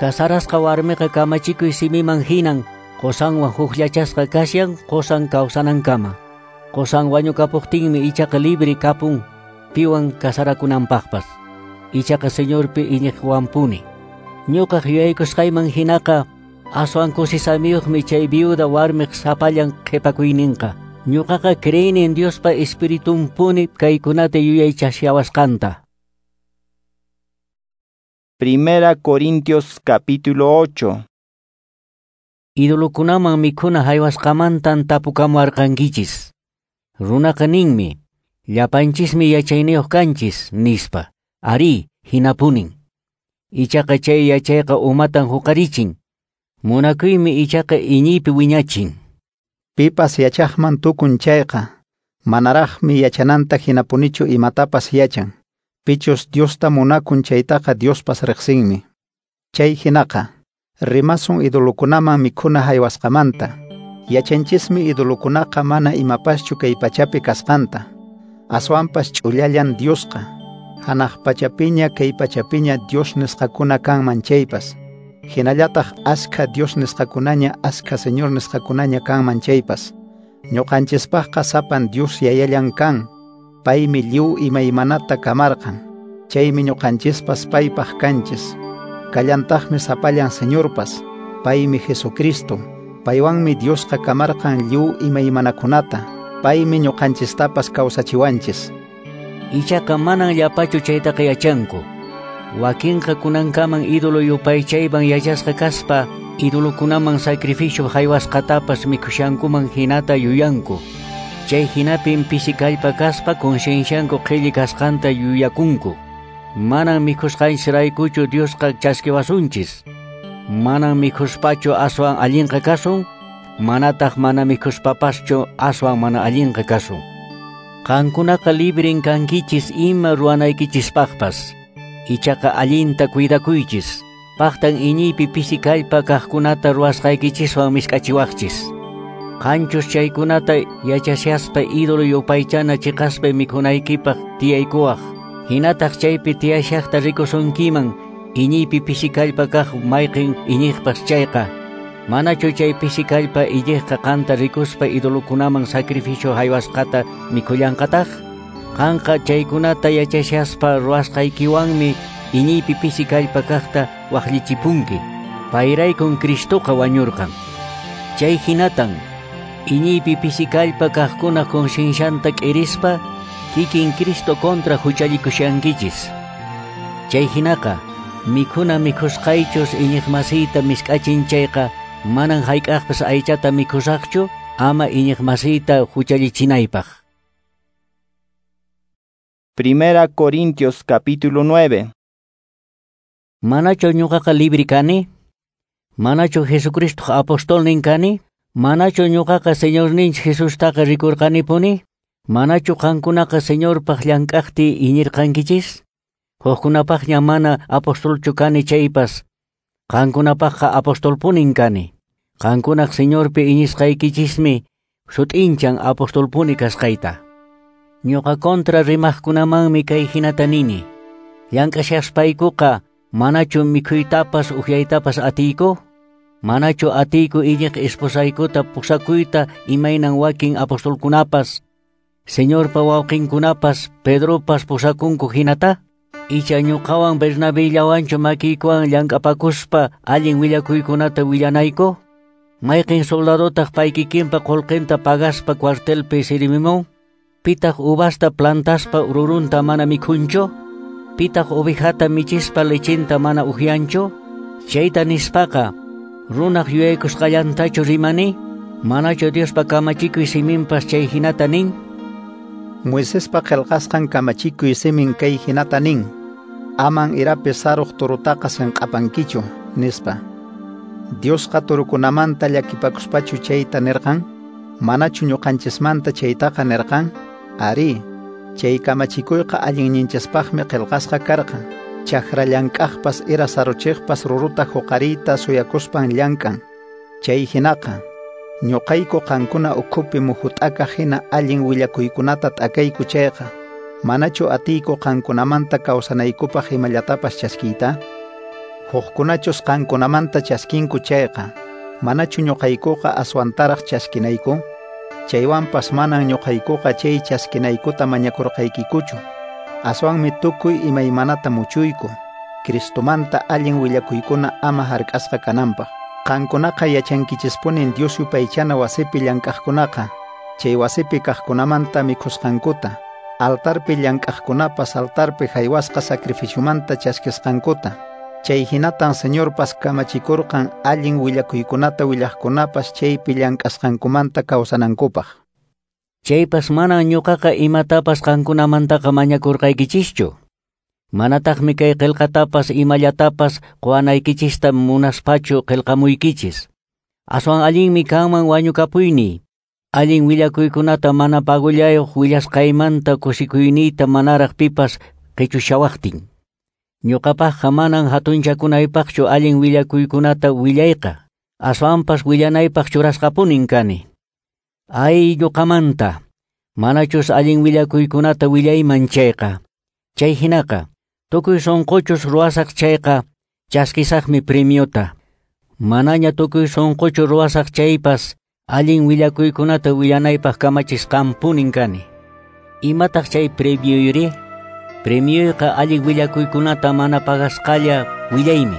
Kasarasqa warmiqa kamachikuy simiman hinan qusanwan hukllachasqa kashan qusan kawsanankama. Qusan wañukapuqtinmi ichaqa libre kapun piwan kasarakunanpaqpas. Ichaqa Señorpi iñiqwanpuni. Ñuqaq yuyaykusqayman hinaqa aswan kusisamiyuqmi chay viuda warmiq sapallan qhipakuyninqa. Ñuqaqa creeni Diospa espiritunpuni kaykunata yuyaychashawasqanta. Primera Corintios capítulo ocho. Idolokunaman mikhuna haywasqamantan tapukamuarqankichis. Runaqa ninmi, llapanchismi yachayniyuq kanchis, nispa. Ari, hinapunin. Ichaqa chay yachayqa umatan huqarichin. Munakuymi ichaqa iñiypi wiñachin. Pipas yachaqman tukun chayqa, manaraqmi yachananta hinapunichu imatapas yachan. Pichus Diosta munakun chaytaqa Diospas riqsinmi. Chay hinaqa, rimasun idolokunaman mikhuna haywasqamanta. Yachanchismi idolokunaqa mana imapaschu kay pachapi kasqanta. Aswanpas ch'ullallan Diosqa. Hanaq pachapiña kay pachapiña Dios nisqakuna kanman chaypas. Hinallataq askha Dios nisqakunaña askha Señor nisqakunaña kanman chaypas. Ñuqanchispaqqa sapan Dios yayallan kan. Paymi lliw imaymanata kamarqan. Chaymi ñuqanchispas paypaq kanchis. Kallantaqmi sapallan Señorpas. Paymi Jesucristo. Paywanmi Diosqa kamarqan lliw imaymanakunata. Paymi ñuqanchistapas kawsachiwanchis. Ichaqa manan llapachu chaytaqa yachanku. Wakinqa kunankaman ídolo yupaychayman yachasqa kaspa, idolokunaman sacrificio haywasqatapas mikhushankuman hinata yuyanku. Chay hinapin pisi kallpa kaspa conciencianku qhilli kasqanta yuyakunku. Manan mikhusqanchisraykuchu Diosqa chaskiwasunchis. Manan mikhuspachu aswan allinqa kasun, manataq mana mikhuspapaschu aswan mana allinqa kasun. Qankunaqa libren kankichis ima ruwanaykichispaqpas. Ichaqa allinta cuidakuychis. Paqtan iñiypi pisi kallpa kaqkunata ruwasqaykichiswan misk'achiwaqchis. Qanchus chaykunata yachashaspa ídolo yupaychana chiqaspa mikhunaykipaq tiyaykuwaq. Hinataq chaypi tiyashaqta rikusunkiman iñiypi pisi kallpa kaq mayqin iñiqpas chayqa. Manachu chay pisi kallpa iñiqqa qanta rikuspa idolokunaman sacrificio haywasqata mikhullanqataq? Qanqa chaykunata yachashaspa ruwasqaykiwanmi iñiypi pisi kallpa kaqta waqllichipunki. Payraykun Cristoqa wañurqan. Chay hinatan iñiypi pisikallpa kaqkuna conciencianta k'irispa kikin Cristo contra huchallikushankichis. Chay hinaqa mikhuna mikhusqaychus iñiqmasiyta misk'achin chayqa manan hayk'aqpas aychata mikhusaqchu ama iñiqmasiyta huchallichinaypaq. Primera Corintios capítulo nueve. Manachu ñuqaqa libre kani? Manachu Jesucristo apostolnin kani? Manachu ñuqaqa Señorninchik Jesustaqa rikurqanipuni? Manachu qankunaqa Señorpaq llank'aqti iñirqankichis? Hukkunapaqña mana apostolchu kani chaypas, qankunapaqqa apostolpunin kani. Qankunaq Señorpi iñisqaykichismi sut'inchan apostolpuni kasqayta. Ñuqa contra rimaqkunamanmi kay hinata nini. Llank'ashaspaykuqa manachu mikhuytapas uhyaytapas atiyku? Manachu atiyku iñiq esposaykuta pusakuyta imaynan wakin apostolkunapas, Señorpa wawqinkunapas, Pedropas pusakunku hinata? Icha ñuqawan Bernabellawanchu makiykuwan llank'apakuspa allin willakuykunata willanayku? Mayqin soldadotaq paykikinpa qullqinta pagaspa cuartelpi sirimimun? Pitaq uvasta plantaspa rurunta mana mikhunchu? Pitaq ovejata michispa lechinta mana uhyanchu? Chayta nispaqa runaq yuyaykusqallantachu rimani? Manachu Diospa kamachikuy siminpas chay hinata nin? Moisespa qillqasqan kamachikuy simin kay hinata nin: Aman irapi saruq turutaqa sinq'apankichu, nispa. Diosqa turukunamanta llakipakuspachu chayta nirqan? Manachu ñuqanchismanta chaytaqa nirqan? Ari, chay kamachikuyqa allinninchispaqmi qillqasqa karqan. Chakra llank'aqpas ira saruchiqpas ruruta huqariyta suyakuspan llank'an. Chay hinaqa ñuqayku qankuna ukhupi muhut'akaq hina allin willakuykunata t'akayku chayqa, manachu atiyku qankunamanta kawsanaykupaq imallatapas chaskiyta? Hukkunachus qankunamanta chaskinku chayqa, manachu ñuqaykuqa aswantaraq chaskinayku? Chaywanpas manan ñuqaykuqa chay chaskinaykuta mañakurqaykikuchu. Aswanmi tukuy imaymanata muchuyku, Cristomanta allin willakuykuna ama hark'asqa kananpaq. Qankunaqa yachankichispunin Dios yupaychana wasipi llank'aqkunaqa, chay wasipi kaqkunamanta mikhusqankuta, altarpi llank'aqkunapas altarpi haywasqa sacrificiomanta chaskisqankuta. Chay hinatan Señorpas kamachikurqan allin willakuykunata willaqkunapas chaypi llank'asqankumanta kawsanankupaq. Chaypas manan ñuqaqa imatapas qankunamantaqa mañakurqaykichischu. Manataqmi kay qillqatapas imallatapas quwanaykichista munaspachu qillqamuykichis. Aswan allinmi kanman wañukapuyniy. Allin willakuykunata mana pagullayuq willasqaymanta kusikuyniyta manaraq pipas qichushawaqtin. Ñuqapaqqa manan hatunchakunaypaqchu allin willakuykunata willayqa. Aswanpas willanaypaq churasqapunin kani. Ay ñuqamanta, manachus allin willakuykunata willayman chayqa. Chay hinaqa, tukuy sunquchus ruwasaq chayqa, chaskisaqmi premiota. Manaña tukuy sunquchu ruwasaq chaypas, allin willakuykunata willanaypaq kamachisqanpunin kani. Imataq chay premioyri? Premioyqa allin willakuykunata mana pagasqalla willaymi.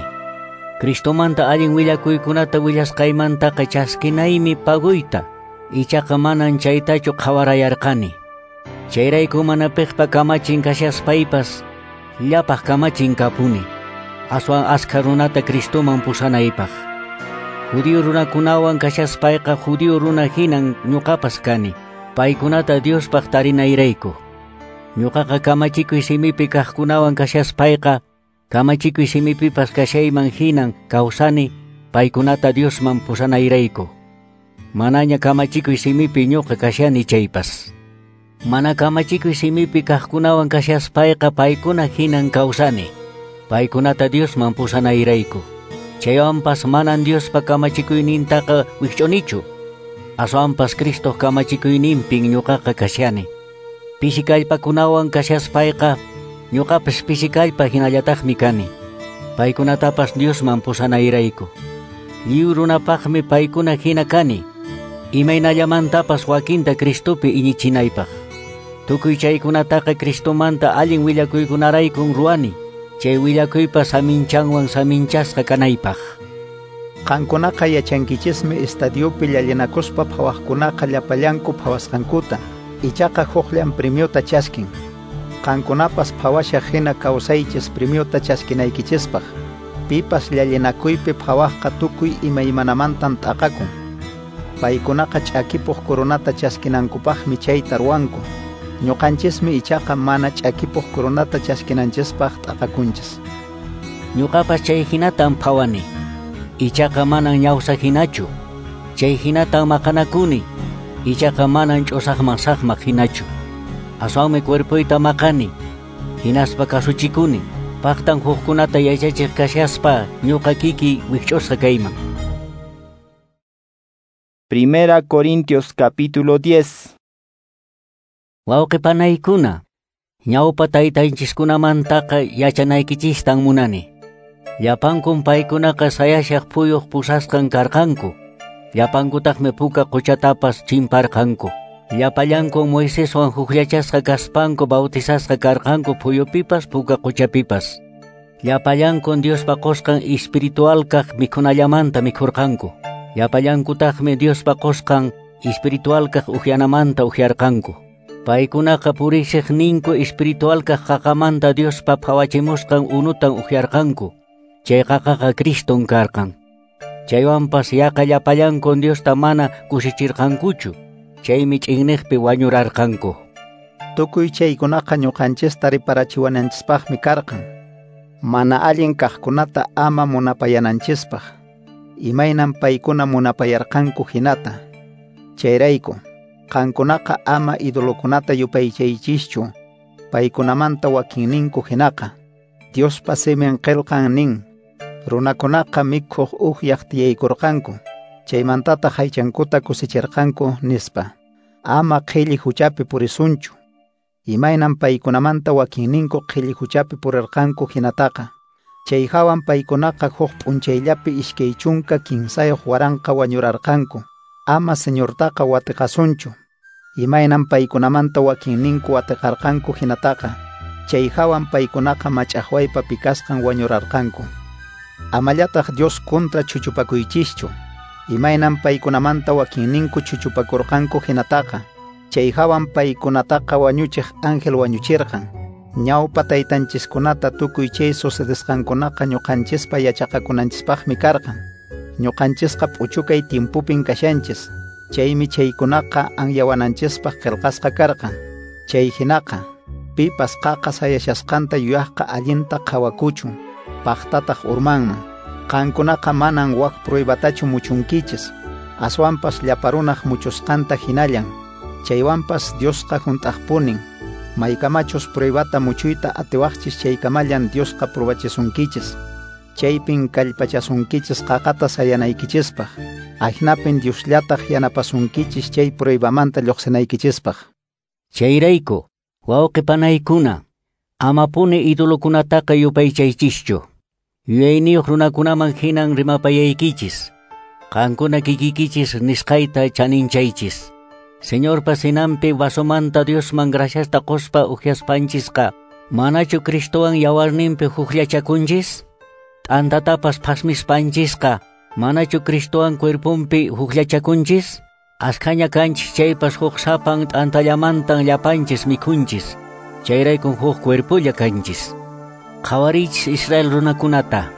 Cristomanta allin willakuykunata willasqaymantaqa chaskinaymi paguyta. Ichaqa manan chaytachu qhawarayarqani. Chayrayku mana piqpa kamachin kashaspaypas, llapaq kamachin kapuni. Aswan askha runata Cristoman pusanaypaq. Judío runakunawan kashaspayqa judío runa hinan ñuqapas kani. Paykunata Diospaq tarinayrayku. Ñuqaqa kamachikuy simipi kaqkunawan kashaspayqa, kamachikuy simipipas kashayman hinan kawsani, paykunata Diosman pusanayrayku. Manaña kamachikuy simipi ñuqa kashani chaypas. Mana kamachikuy simipi kaqkunawan kashaspayqa paykuna hinan kawsani, paykunata Diosman pusanayrayku. Chaywanpas manan Diospa kamachikuynintaqa wikch'unichu. Aswanpas Cristoq kamachikuyninpin ñuqaqa kashani. Pisi kallpakunawan kashaspayqa ñuqapas pisi kallpa hinallataqmi kani. Paykunatapas Diosman pusanayrayku. Lliw runapaqmi paykuna hina kani. Imaynallamantapas wakinta Cristopi iñichinaypaq. Tukuy chaykunataqa Cristomanta allin willakuykunaraykun ruwani. Chay willakuypa saminchanwan saminchasqa kanaypaq. Qankunaqa yachankichismi estadiopi llallinakuspa phawaqkunaqa llapallanku phawasqankuta, ichaqa huqllan premiota chaskin. Qankunapas phawashaq hina kawsaychis premiota chaskinaykichispaq. Pipas llallinakuypi phawaqqa tukuy imaymanamantan t'aqakun. Paykunaqa ch'akipuq coronata chaskinankupaqmi chayta ruwanku. Ñuqanchismi ichaqa mana ch'akipuq coronata chaskinanchispaq t'aqakunchis. Ñuqapas chay hinatan phawani. Ichaqa manan ñawsa hinachu. Chay hinatan maqanakuni. Ichaqa manan ch'usaqman saqmaq hinachu. Aswanmi cuerpoyta maqani. Hinaspa kasuchikuni. Paqtan hukkunata yachachiq kashaspa ñuqa kiki wikch'usqa kayman. Primera Corintios capítulo diez. Wawqi panaykuna, ñawpa taytanchiskunamantaqa yachanaykichistan munani. Llapankun paykunaqa sayashaq phuyuq pusasqan karqanku. Llapankutaqmi puka quchatapas chimparqanku. Llapallankun Moiseswan hukllachasqa kaspanku bautizasqa karqanku phuyupipas puka quchapipas. Llapallankun Diospa qusqan espiritual kaq mikhunallamanta mikhurqanku. Llapallankutaqmi Diospa qusqan espiritual kaq uxyanamanta uxyarqanku. Paykunaqa purisiqninku espiritual kaq qaqamanta Diospa phawachimusqan unutan uxyarqanku. Chay qaqaqa Criston karqan. Chaywanpas yaqa llapallankun Diosta mana kusichirqankuchu. Chaymi ch'inniqpi wañurarqanku. Tukuy chaykunaqa ñuqanchista riparachiwananchispaqmi karqan. Mana allin kaqkunata ama munapayananchispaq. Imaynan paykuna munapayarqanku hinata. Chayrayku, qankunaqa ama idolokunata yupaychaychischu, paykunamanta wakinninku hinaqa. Diospa simin qillqan nin, runakunaqa mikhuq uhyaq tiyaykurqanku, chaymantataq aychankuta kusichirqanku nispa. Ama qhilli huchapi purisunchu. Imaynan paykunamanta wakinninku qhilli huchapi purirqanku hinataqa. Chay hawan paykunaqa huk p'unchayllapi iskay chunka kinsayuq waranqa wañurarqanku. Ama Señortaqa watiqasunchu. Imaynan paykunamanta wakinninku watiqarqanku hinataqa. Chay hawan paykunaqa mach'aqwaypa pikasqan wañurarqanku. Amallataq Dios kontra chuchupakuychischu. Imaynan paykunamanta wakinninku chuchupakurqanku hinataqa. Chay hawan paykunataqa wañuchiq ángel wañuchirqan. Ñawpa taytanchiskunata tukuy chay sucedesqankunaqa ñuqanchispa yachaqakunanchispaqmi karqan. Ñuqanchisqa p'uchukay tiempupin kashanchis. Chaymi chaykunaqa anyawananchispaq qillqasqa karqan. Chay hinaqa pipas qaqa sayashasqanta yuyaqqa allinta qhawakuchun, paqtataq urmanman. Qankunaqa manan wak pruebatachu muchunkichis, aswanpas llaparunaq muchusqanta hinallan. Chaywanpas Diosqa hunt'aqpunin. Maykamachus pruebata muchuyta atiwaqchis chaykamallan Diosqa pruebachisunkichis. Chaypin kallpachasunkichis qaqata sayanaykichispaq. Ahinapin Diosllataq yanapasunkichis chay pruebamanta lluqsinaykichispaq. Chayrayku, wawqi panaykuna, amapuni idolokunataqa yupaychaychischu. Yuyayniyuq runakunaman hinan rimapayaykichis. Qankuna kikikichis nisqayta chaninchaychis. Señorpa cenanpi vasomanta Diosman graciasta quspa uhyaspanchisqa, manachu Cristowan yawarninpi hukllachakunchis? T'antatapas phasmispanchisqa, manachu Cristowan cuerponpi hukllachakunchis? Askhaña kanchis chaypas huk sapan t'antallamantan llapanchis mikhunchis. Chayraykun huk cuerpolla kanchis. Qhawarichis Israel runakunata.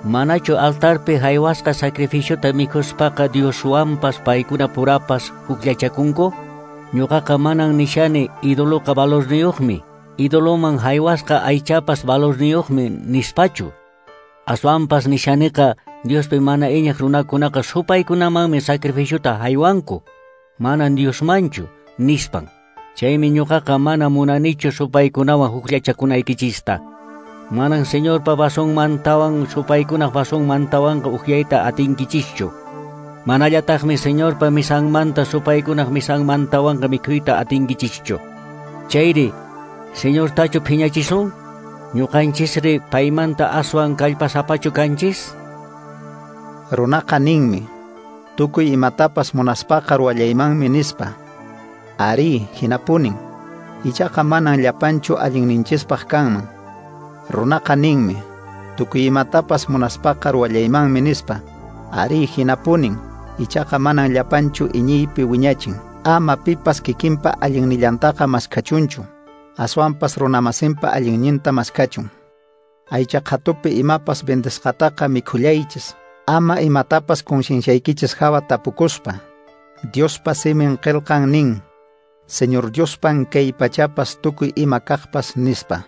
Manachu altarpi haywasqa sacrificiota mikhuspaqa Dioswanpas paykuna purapas hukllachakunku? Ñuqaqa manan nishani idoloqa valorniyuqmi, idoloman haywasqa aychapas valorniyuqmi nispachu. Aswanpas nishaniqa Diospi mana iñiq runakunaqa supaykunamanmi sacrificiota haywanku, manan Diosmanchu nispan. Chaymi ñuqaqa mana munanichu supaykunawan hukllachakunaykichista. Manan Señorpa vasonmantawan supaykunaq vasonmantawanqa uhyayta atinkichischu. Manallataqmi Señorpa misanmanta supaykunaq misanmantawanqa mikhuyta atinkichischu. Chayri, Señortachu phiñachisun? Ñuqanchisri paymanta aswan kallpasapachu kanchis? Runaqa ninmi, tukuy imatapas munaspaqa ruwallaymanmi nispa. Ari, hinapunin. Ichaqa manan llapanchu allinninchispaq kanman. Runaqa ninmi, tukuy imatapas munaspaqa ruwallaymanmi nispa. Arí, hinapunin, ichaqa manan llapanchu iñiypi wiñachin. Ama pipas kikinpa allinnillantaqa maskhachunchu, aswanpas runamasinpa allinninta maskhachun. Aycha qhatupi imapas vendesqataqa mikhullaychis, ama imatapas concienciaykichis hawa tapukuspa. Diospa simin qillqan nin, Señor Diospan kay pachapas tukuy ima kaqpas nispa.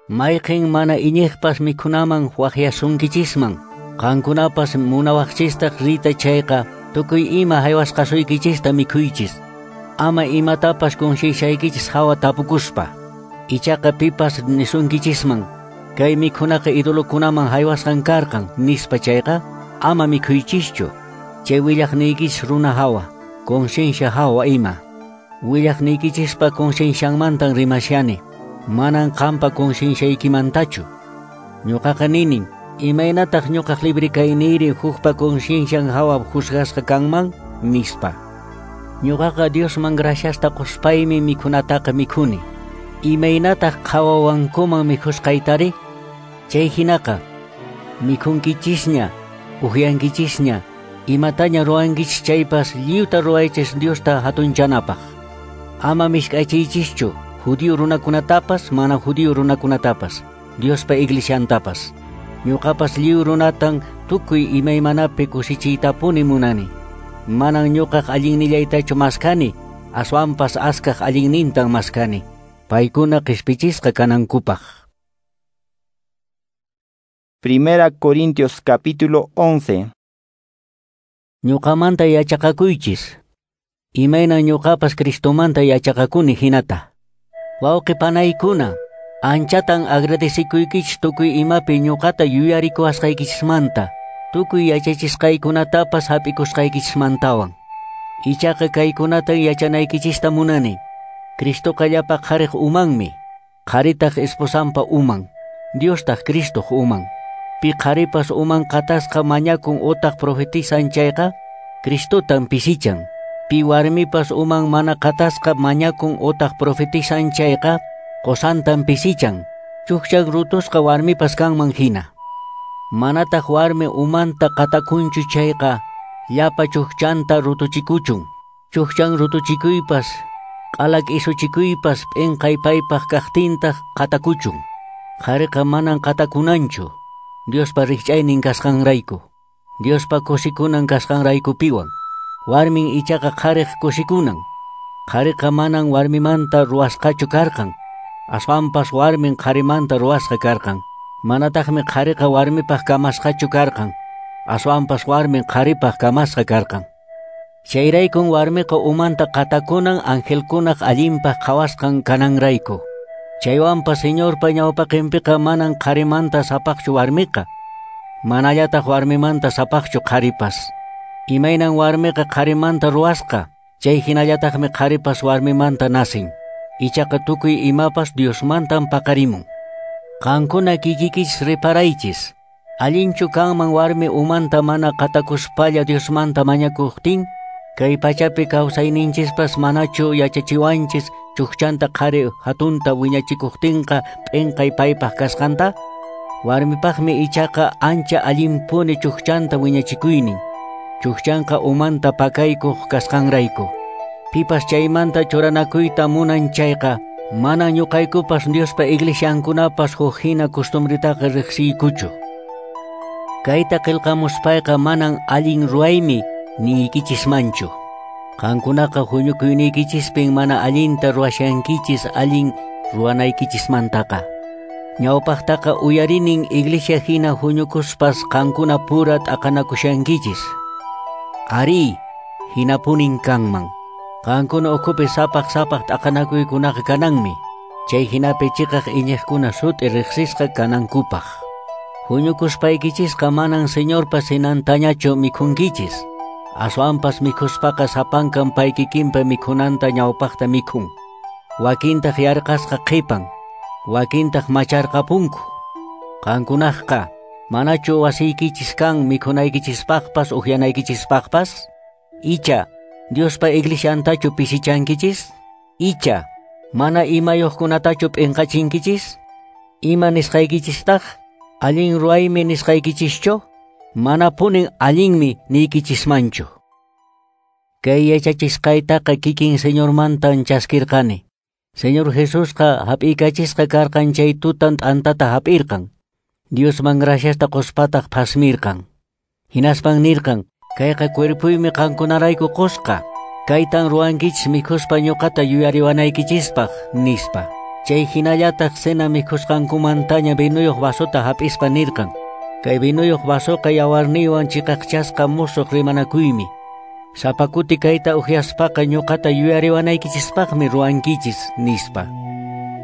Mayqin mana iñiqpas mikhunaman waqyasunkichisman, qankunapas munawaqchistaq rita chayqa, tukuy ima haywasqasuykichista mikhuychis. Ama imatapas concienciaykichis hawa tapukuspa. Ichaqa pipas nisunkichisman, kay mikhunaqa idolokunaman haywasqan karqan nispa chayqa, ama mikhuychischu. Chay willaqniykichis runa hawa, conciencia hawa ima. Willaqniykichispa conciencianmantan rimashani, manan qampa concienciaykimantachu. Ñuqaqa ninin, imaynataq ñuqaq libre kayniyri hukpa conciencian hawa juzgasqa kanman nispa. Ñuqaqa Diosman graciasta quspaymi mikhunataqa mikhuni. Imaynataq qhawawankuman mikhusqaytari? Chay hinaqa, mikhunkichisña, uhyankichisña, imataña ruwankichis chaypas lliwta ruwaychis Diosta hatunchanapaq. Ama mishk'achiychischu judío runakunatapas mana judío runakunatapas, Diospa iglesiantapas. Ñuqapas lliw runatan tukuy imaymanapi kusichiytapuni munani. Manan ñuqaq allinnillaytachu maskani, aswanpas askaq allinnintan maskani. Paykuna qhispichisqa kanankupaq. Primera Corintios capítulo once. Ñuqamanta yachaqakuychis. Imayna ñuqapas Cristomanta yachaqakuni hinata. Wawqi panaykuna, anchatan agradecikuykichis tukuy imapi ñuqata yuyarikuwasqaykichismanta, tukuy yachachisqaykunatapas hap'ikusqaykichismantawan. Ichaqa kaykunatan yachanaykichista munani. Cristoqa llapa qhariq umanmi, qharitaq esposanpa uman, Diostaq Cristoq uman. Pi qharipas uman qatasqa mañakun utaq profetizan chayqa, Cristotan pisichan. Pi warmipas uman mana qatasqa mañakun utaq profetizan chayqa, qosantan pisichan. Chukchan rutusqa warmipas kanman hina. Manataq warmi umanta qatakunchu chayqa, llapa chukchanta rutuchikuchun. Chukchan rutuchikuypas, q'alak isuchikuypas p'inqay paypaq kaqtintaq qatakuchun. Qhariqa manan qatakunanchu, Diospa rikch'aynin kasqanrayku, Diospa kusikunan kasqanraykupiwan. Warmin ichaqa qhariq kusikunan. Qhariqa manan warmimanta ruwasqachu karqan, aswanpas warmin qharimanta ruwasqa karqan. Manataqmi qhariqa warmipaq kamasqachu karqan, aswanpas warmin qharipaq kamasqa karqan. Chayraykun warmiqa umanta qatakunan angelkunaq allinpaq qhawasqan kananrayku. Chaywanpas Señorpa ñawpaqinpiqa manan qharimanta sapaqchu warmiqa, manallataq warmimanta sapaqchu qharipas. Imaynan warmiqa qharimanta ruwasqa, chay hinallataqmi qharipas warmimanta nacen. Ichaqa tukuy imapas Diosmantan paqarimun. Qankuna kikikichis reparaychis. Allinchu kanman warmi umanta mana qatakuspalla Diosmanta mañakuqtin? Kay pachapi kawsayninchispas manachu yachachiwanchis chukchanta qhari hatunta wiñachikuqtinqa p'inqay paypaq kasqanta? Warmipaqmi ichaqa ancha allinpuni chukchanta wiñachikuynin. Chukchanqa umanta pakaykuq kasqanrayku. Pipas chaymanta churanakuyta munan chayqa, mana ñuqaykupas Diospa iglesiankunapas huk hina costumbritaqa riqsiykuchu. Kayta qillqamuspayqa manan allin ruwaymi niykichismanchu. Qankunaqa huñukuyniykicispin mana allinta ruwashankichis allin ruwanaykichismantaqa. Ñawpaqtaqa uyarinin iglesia hina huñukuspas qankuna pura t'aqanakushankichis. Ari, hinapunin kanman. Qankuna ukhupi sapaq sapaq t'aqanakuykunaqa kananmi. Chay hinapi chiqaq iñiqkuna sut'i riqsisqa kanankupaq. Huñukuspaykichisqa manan Señorpa cenantañachu mikhunkichis. Aswanpas mikhuspaqa sapankan paykikinpa mikhunanta ñawpaqta mikhun. Wakintaq yarqasqa qhipan, wakintaq macharqapunku. Qankunaqqa, manachu wasiykichis kan mikhunaykichispaqpas uhyanaykichispaqqpas? Icha, Diospa iglesiantachu pisichankichis? Icha, mana imayuqkunatachu p'inqachinkichis? Ima nisqaykichistaq? Allin ruwaymi nisqaykichischu? Manapunin allinmi niykichismanchu. Kay yachachisqaytaqa kikin Señormantan chaskirqani. Señor Jesusqa hap'iykachisqa karqan chay tutan t'antata hap'irqan. Diosman graciasta qospataq phasmirqan. Hinaspan nirqan, kayqa cuerpuymi qankunarayku qosqa. Kaytan ruwankichis mikhuspa ñuqata yuyariwanaykichispaq, nispa. Chay hinallataq cena mikhusqankumantaña vinuyuq vasota hap'ispa nirqan. Kay vinuyuq vasoqa yawarniywan chiqaqchasqa musuq rimanakuymi. Sapa kuti kayta uhyaspaqa ñuqata yuyariwanaykichispaqmi ruwankichis, nispa.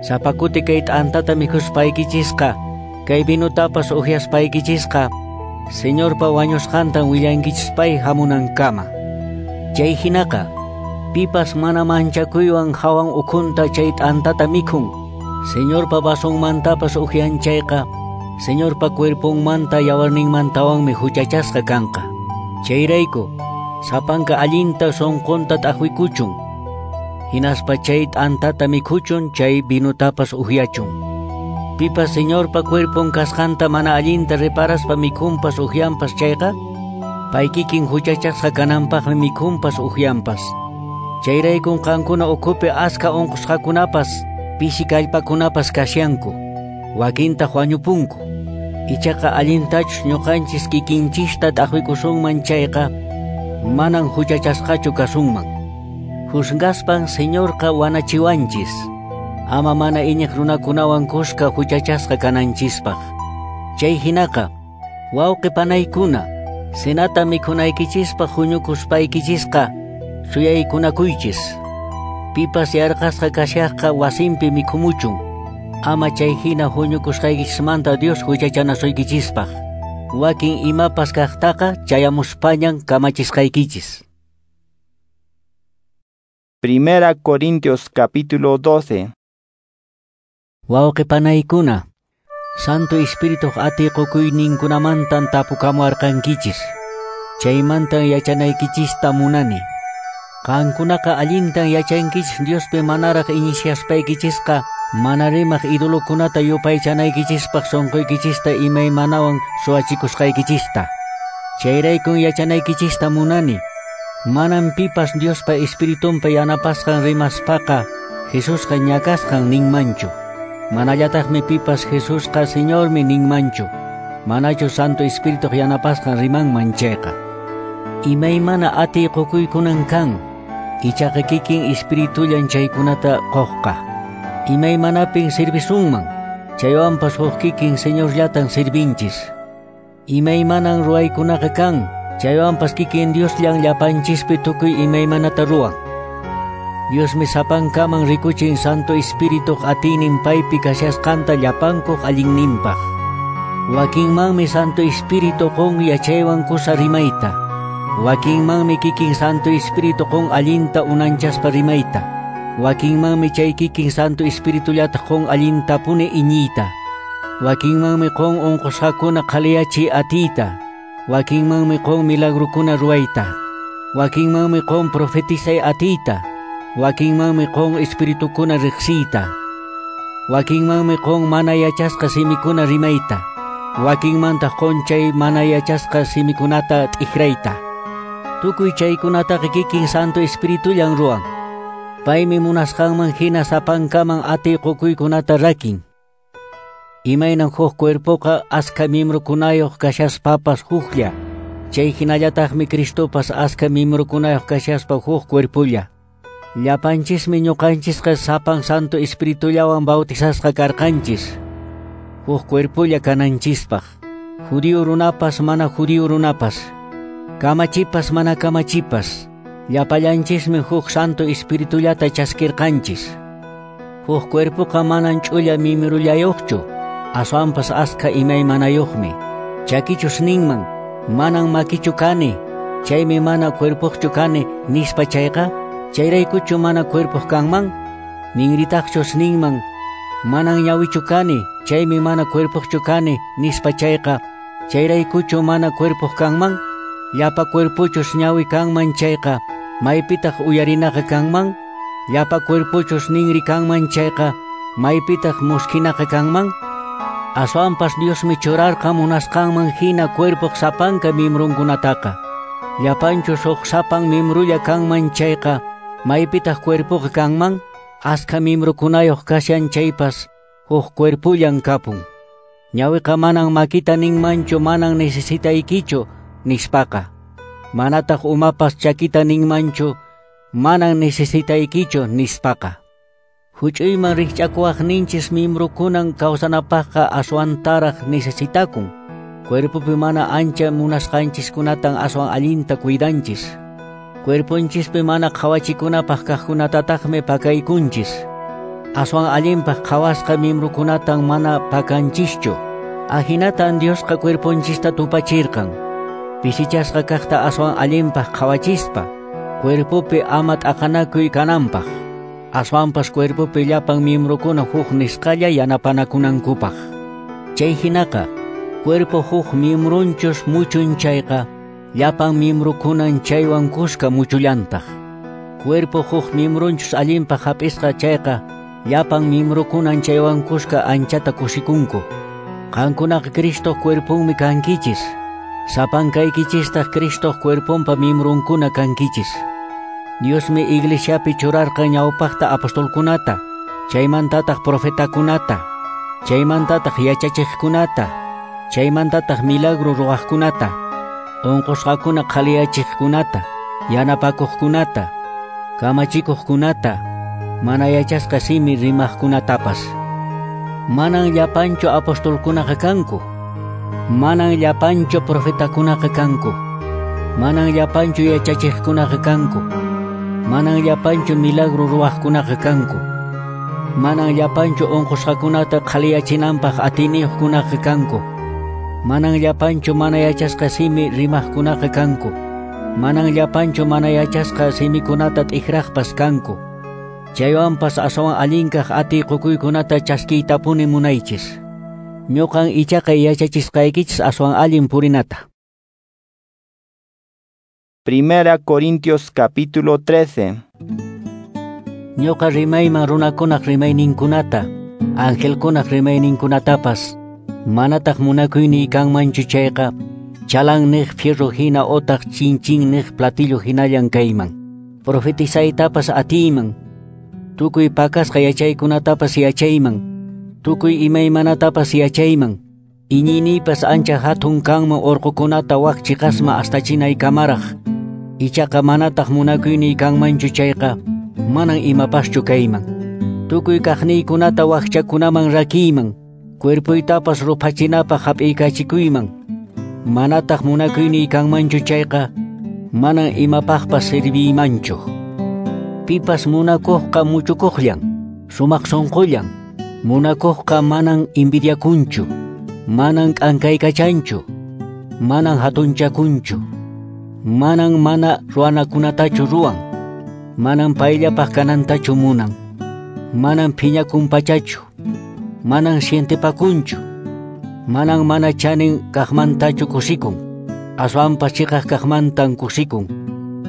Sapa kuti kay t'antata mikhuspaykichisqa, kay vinutapas uhyaspaykichisqa, Señorpa wañusqantan willankichis pay hamunankama. Chay hinaqa, pipas mana manchakuywan hawan ukhunta chay t'antata mikhun, Señorpa vasonmantapas uhyan chayqa, Señorpa cuerponmanta yawarninmantawanmi huchachasqa kanqa. Chayrayku, sapanka allinta sunqunta t'aqwikuchun, hinaspa chay t'antata mikhuchun, chay vinutapas uhyachun. Pipas Señorpa cuerpon kasqanta mana allinta reparaspa mikhunpas uhyanpas chayqa, pay kikin huchachasqa kananpaqmi mikhunpas uhyanpas. Chayraykun qankuna ukhupi aska unqusqakunapas, pisi kallpakunapas kashanku, wakintaq wañupunku. Ichaqa allintachus ñuqanchis kikinchista t'aqwikusunman chayqa, manan huchachasqachu kasunman. Juzgaspan Señorqa wanachiwanchis, ama mana iñiq runakunawan kuska huchachasqa kananchispaq. Chay hinaqa, wawqi panaykuna, cenata mikhunaykichispaq huñukuspaykichisqa suyaykunakuychis. Pipas yarqasqa kashaqqa wasinpi mikhumuchun, ama chay hina huñukusqaykichismanta Dios huchachanasuykichispaq. Wakin imapas kaqtaqa chayamuspañan kamachisqaykichis. Primera Corintios capítulo doce. Wawqi panaykuna, Santo Espirituq atiy qukuyninkunamantan tapukamuarqankichis. Chaymantan yachanaykichista munani. Qankunaqa allintan yachankichis Diospi manaraq iñishaspaykichishqa mana rimaq idolokunata yupaychanaykichispaq sunquykichista imaymanawan suwachikusqaykichista. Chayraykun yachanaykichista munani. Manan pipas Diospa Espiritunpa yanapasqan rimaspaqa Jesusqa ñakasqan ninmanchu. Manallataqmi pipas Jesusqa Señormi ninmanchu. Manachu Santo Espirituq yanapasqan rimanman chayqa. Imaymana atiy qukuykunan kan, ichaqa kikin Espiritullan chaykunata quqqa. Imaymanapin servisunman, chaywanpas huk kikin Señorllatan servinchis. Imaymanan ruwaykunaqa kan, chaywanpas kikin Diosllan llapanchispi tukuy imaymanata ruwan. Diosmi sapankaman rikuchin Santo Espirituq atiynin paypi kashasqanta llapankuq allinninpaq. Wakinmanmi Santo Espíritu qun yachaywan kusa rimayta. Wakinmanmi kikin Santo Espíritu qun allinta unanchaspa rimayta. Wakinmanmi chay kikin Santo Espiritullataq qun allintapuni iñiyta. Wakinmanmi qun unqusqakuna qhaliyachiy atiyta. Wakinmanmi qun milagrukuna ruwayta. Wakinmanmi qun profetizay atiyta. Wakinmanmi qun espiritukuna riqsiyta. Wakinmanmi qun mana yachasqa simikuna rimayta. Wakinmantaq qun chay mana yachasqa simikunata t'ikrayta. Tukuy chaykunataqa kikin Santo Espiritullan ruwan. Paymi munasqanman hina sapankaman atiy qukuykunata rakin. Imaynan huk cuerpoqa aska miembrokunayuq kashaspapas huklla. Chay hinallataqmi Cristopas aska miembrokunayuq kashaspa huk cuerpolla. Llapanchismi ñuqanchisqa sapan Santo Espiritullawan bautizasqa karqanchis. Huk cuerpolla kananchispaq. Judío runapas mana judío runapas. Kamachipas mana kamachipas. Llapallanchismi huk Santo Espiritullata chaskirqanchis. Huk cuerpoqa manan ch'ulla mimrullayuqchu, aswanpas aska imaymanayuqmi. Chakichus ninman, manan makichu kani, chaymi mana cuerpoqchu kani nispa chayqa, chayraykuchu mana cuerpoq kanman? Ninritaqchus ninman, manan ñawichu kani, chaymi mana cuerpoqchu kani nispa chayqa, chayraykuchu mana cuerpoq kanman? Llapa cuerpochus ñawi kanman chayqa, maypitaq uyarinaqa kanman? Llapa cuerpochus ninri kanman chayqa, maypitaq muskhinaqa kanman? Aswanpas Diosmi churarqa munasqanman hina cuerpoq sapanka miembrunkunataqa. Llapanchus huk sapan miembrulla kanman chayqa, maypitaq cuerpoqa kanman? Askha miembrukunayuq kashan chaypas huk cuerpullan kapun. Ñawiqa manan makita ninmanchu manan necesitaykichu nispaqa. Manataq umapas chakita ninmanchu manan necesitaykichu nispaqa. Huch'uyman rikch'akuwaqninchis miembrukunan kawsanapaqqa aswantaraq necesitakun. Cuerpopi mana ancha munasqanchiskunatan aswan allinta cuidanchis. Cuerponchispi mana qhawachikunapaq kaqkunatataqmi pakaykunchis. Aswan allinpaq qhawasqa miembrukunatan mana pakanchischu. Ahinatan Diosqa cuerponchista tupachirqan. Pisichasqa kaqta aswan allinpaq qhawachispa, cuerpopi ama t'aqanakuy kananpaq. Aswanpas cuerpopi llapan miembrukuna huk nisqalla yanapanakunankupaq. Chay hinaqa, cuerpo huk miembrunchus muchun chayqa, llapan miembrukunan chaywan kuska muchullantaq. Cuerpo huk miembrunchus allinpaq hap'isqa chayqa, llapan miembrukunan chaywan kuska anchata kusikunku. Qankunaqa Cristoq cuerponmi kankichis. Sapankaykichistaq Cristoq cuerponpa miembrunkuna kankichis. Diosmi iglesiapi churarqa ñawpaqta apostolkunata, chaymantataq profetakunata, chaymantataq yachachiqkunata, chaymantataq milagro ruwaqkunata, unqusqakuna qhaliyachiqkunata, yanapakuqkunata, kamachikuqkunata, mana yachasqa simi rimaqkunatapas. Manan llapanchu apostolkunaqa kanku, manan llapanchu profetakunaqa kanku, manan llapanchu yachachiqkunaqa kanku, manan llapanchu milagro ruwaqkunaqa kanku, manan llapanchu unqusqakunata qhaliyachinanpaq atiniyuqkunaqa kanku, manan llapanchu mana yachasqa simi rimaqkunaqa kanku, manan llapanchu mana yachasqa simikunata t'ikraqpas kanku. Chaywanpas aswan allinkaq atiy qukuykunata chaskiytapuni munaychis. Ñuqan ichaqa yachachisqaykichis aswan allin purinata. Primera Corintios capítulo trece. Ñuqa rimayman runakunaq rimayninkunata, angelkunaq rimayninkunatapas, manataq munakuyniy kanmanchu chayqa, chalan niq fierro hina otaq chinchin niq platillo hinallan kayman. Profetizaytapas atiyman, tukuy pakasqa yachaykunatapas yachayman, tukuy imaymanatapas yachayman, iñiyniypas ancha hatun kanman urqukunata wak chiqasma astachinay kamaraq. Ichaqa manataq munakuyniy kanmanchu chayqa, manan imapaschu kayman. Tukuy kaqniykunata wakchakunaman rakiyman, cuerpoytapas ruphachinapaq hap'iykachikuyman. Manataq munakuyniy kanmanchu chayqa, manan imapaqpas serviymanchu. Pipas munakuqqa muchukuqllan, sumaq sunqullan. Munakuqqa manan envidiakunchu, manan k'ankaykachanchu, manan hatunchakunchu, manan mana ruwanakunatachu ruwan, manan payllapaq kanantachu munan, manan phiñakunpachachu, manan sientepakunchu, manan mana chanin kaqmantachu kusikun, aswanpas chiqaq kaqmantan kusikun.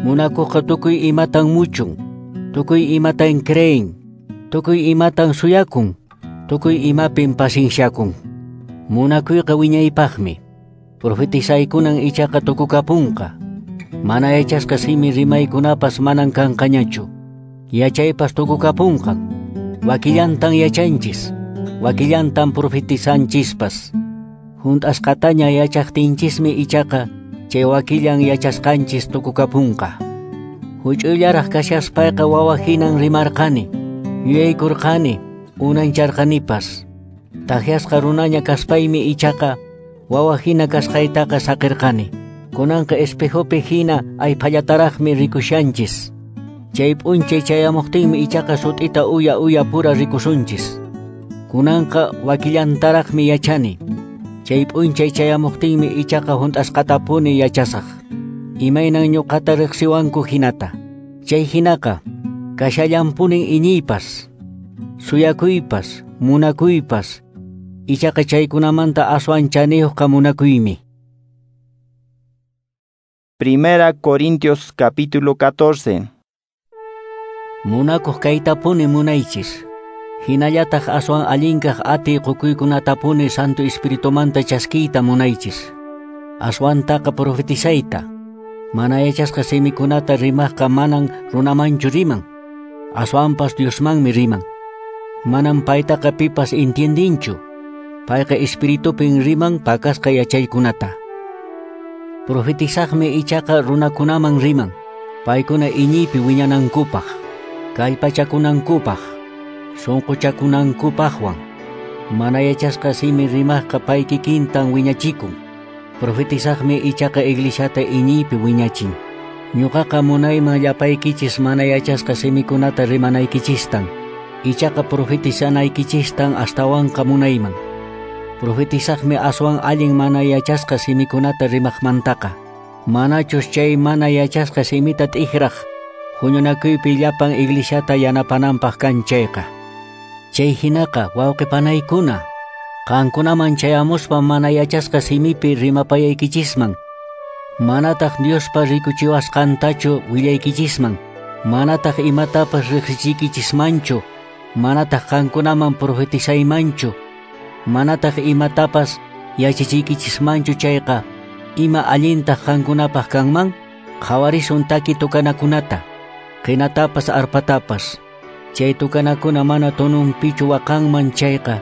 Munakuqqa tukuy imatan muchun, tukuy imatan creen, tukuy imatan suyakun, tukuy imapin pacienciakun. Munakuyqa wiñaypaqmi. Profetizaykunan ichaqa tukukapunqa. Mana yachasqa simi rimaykunapas manan kanqañachu. Yachaypas tukukapunqan. Wakillantan yachanchis, wakillantan profetizanchispas. Hunt'asqataña yachaqtinchismi ichaqa chay wakillan yachasqanchis tukukapunqa. Huch'uyllaraq kashaspayqa wawa hinan rimarqani, yuyaykurqani, unancharqanipas. Takyasqa runaña kaspaymi ichaqa wawa hina kasqaytaqa saqirqani. Kunanqa espejopi hina ayphallataraqmi rikushanchis. Chay p'unchay chayamuqtinmi ichaqa sut'ita uya uya pura rikusunchis. Kunanqa wakillantaraqmi yachani. Chay p'unchay chayamuqtinmi ichaqa hunt'asqatapuni yachasaq. Imaynan ñuqata riqsiwanku hinata. Chay hinaqa kashallanpunin iñiypas, suyakuypas, munakuypas. Ichaqa chaykunamanta aswan chaniyuqqa munakuymi. Primera Corintios capítulo catorce. Munakuq kaytapuni munaychis. Hinallataq aswan allinkaq atiy qukuykunatapuni Santo Espiritumanta chaskiyta munaychis. Aswantaqa profetizayta. Mana yachasqa simikunata rimaqqa manan runamanchu riman. Aswanpas Diosmanmi riman. Manan paytaqa pipas entiendinchu. Payqa espiritupin riman pakasqa yachaykunata. Profetizaqmi ichaqa runakunaman riman. Paykuna iñiypi wiñanankupaq, kallpachakunankupaq, sunquchakunankupaqwan. Mana yachasqa simi rimaqqa pay kikintan wiñachikun. Profetizaqmi ichaqa iglesiata iñiypi wiñachin. Ñuqaqa munayman llapaykichis mana yachasqa simikunata rimanaykichistan. Ichaqa profetizanaykichistan astawanqa munayman. Profetizaqmi aswan allin mana yachasqa simikunata rimaqmantaqa. Manachus chay mana yachasqa simita t'ikraq huñunakuypi llapan iglesiata yanapananpaq kan chayqa. Chay hinaqa wawqipanaykuna, qankunaman chayamuspa mana yachasqa simipi rimapayaykichisman, manataq Diospa rikuchiwasqantachu willaykichisman, manataq imatapas riqsichiykichismanchu, manataq qankunaman profetizaymanchu, manataq imatapas yachachiykichismanchu chayqa, ima allintaq qankunapaq kanman? Qhawarisun taki tukanakunata, qinatapas arpatapas. Chay tukanakuna mana tununpichu waqanman chayqa,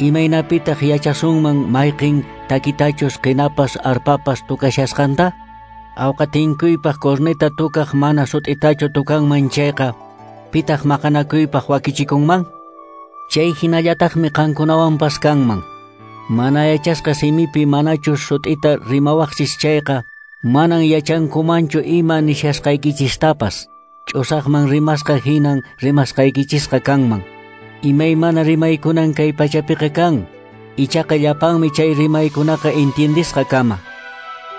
imaynapitaq yachasunman mayqin takitachus qinapas arpapas tukashasqanta? Awqatinkuypaq corneta tukaq mana sut'itachu tukanman chayqa, pitaq maqanakuypaq wakichikunman? Chay hinallataqmi qankunawanpas kanman. Mana yachasqa simipi manachus sut'ita rimawaqchis chayqa, manan yachankumanchu ima nishasqaykichistapas. Ch'usaqman rimasqa hinan rimasqaykichisqa kanman. Imaymana rimaykunan kay pachapiqa kan, ichaqa llapanmi chay rimaykunaqa entiendisqa kama.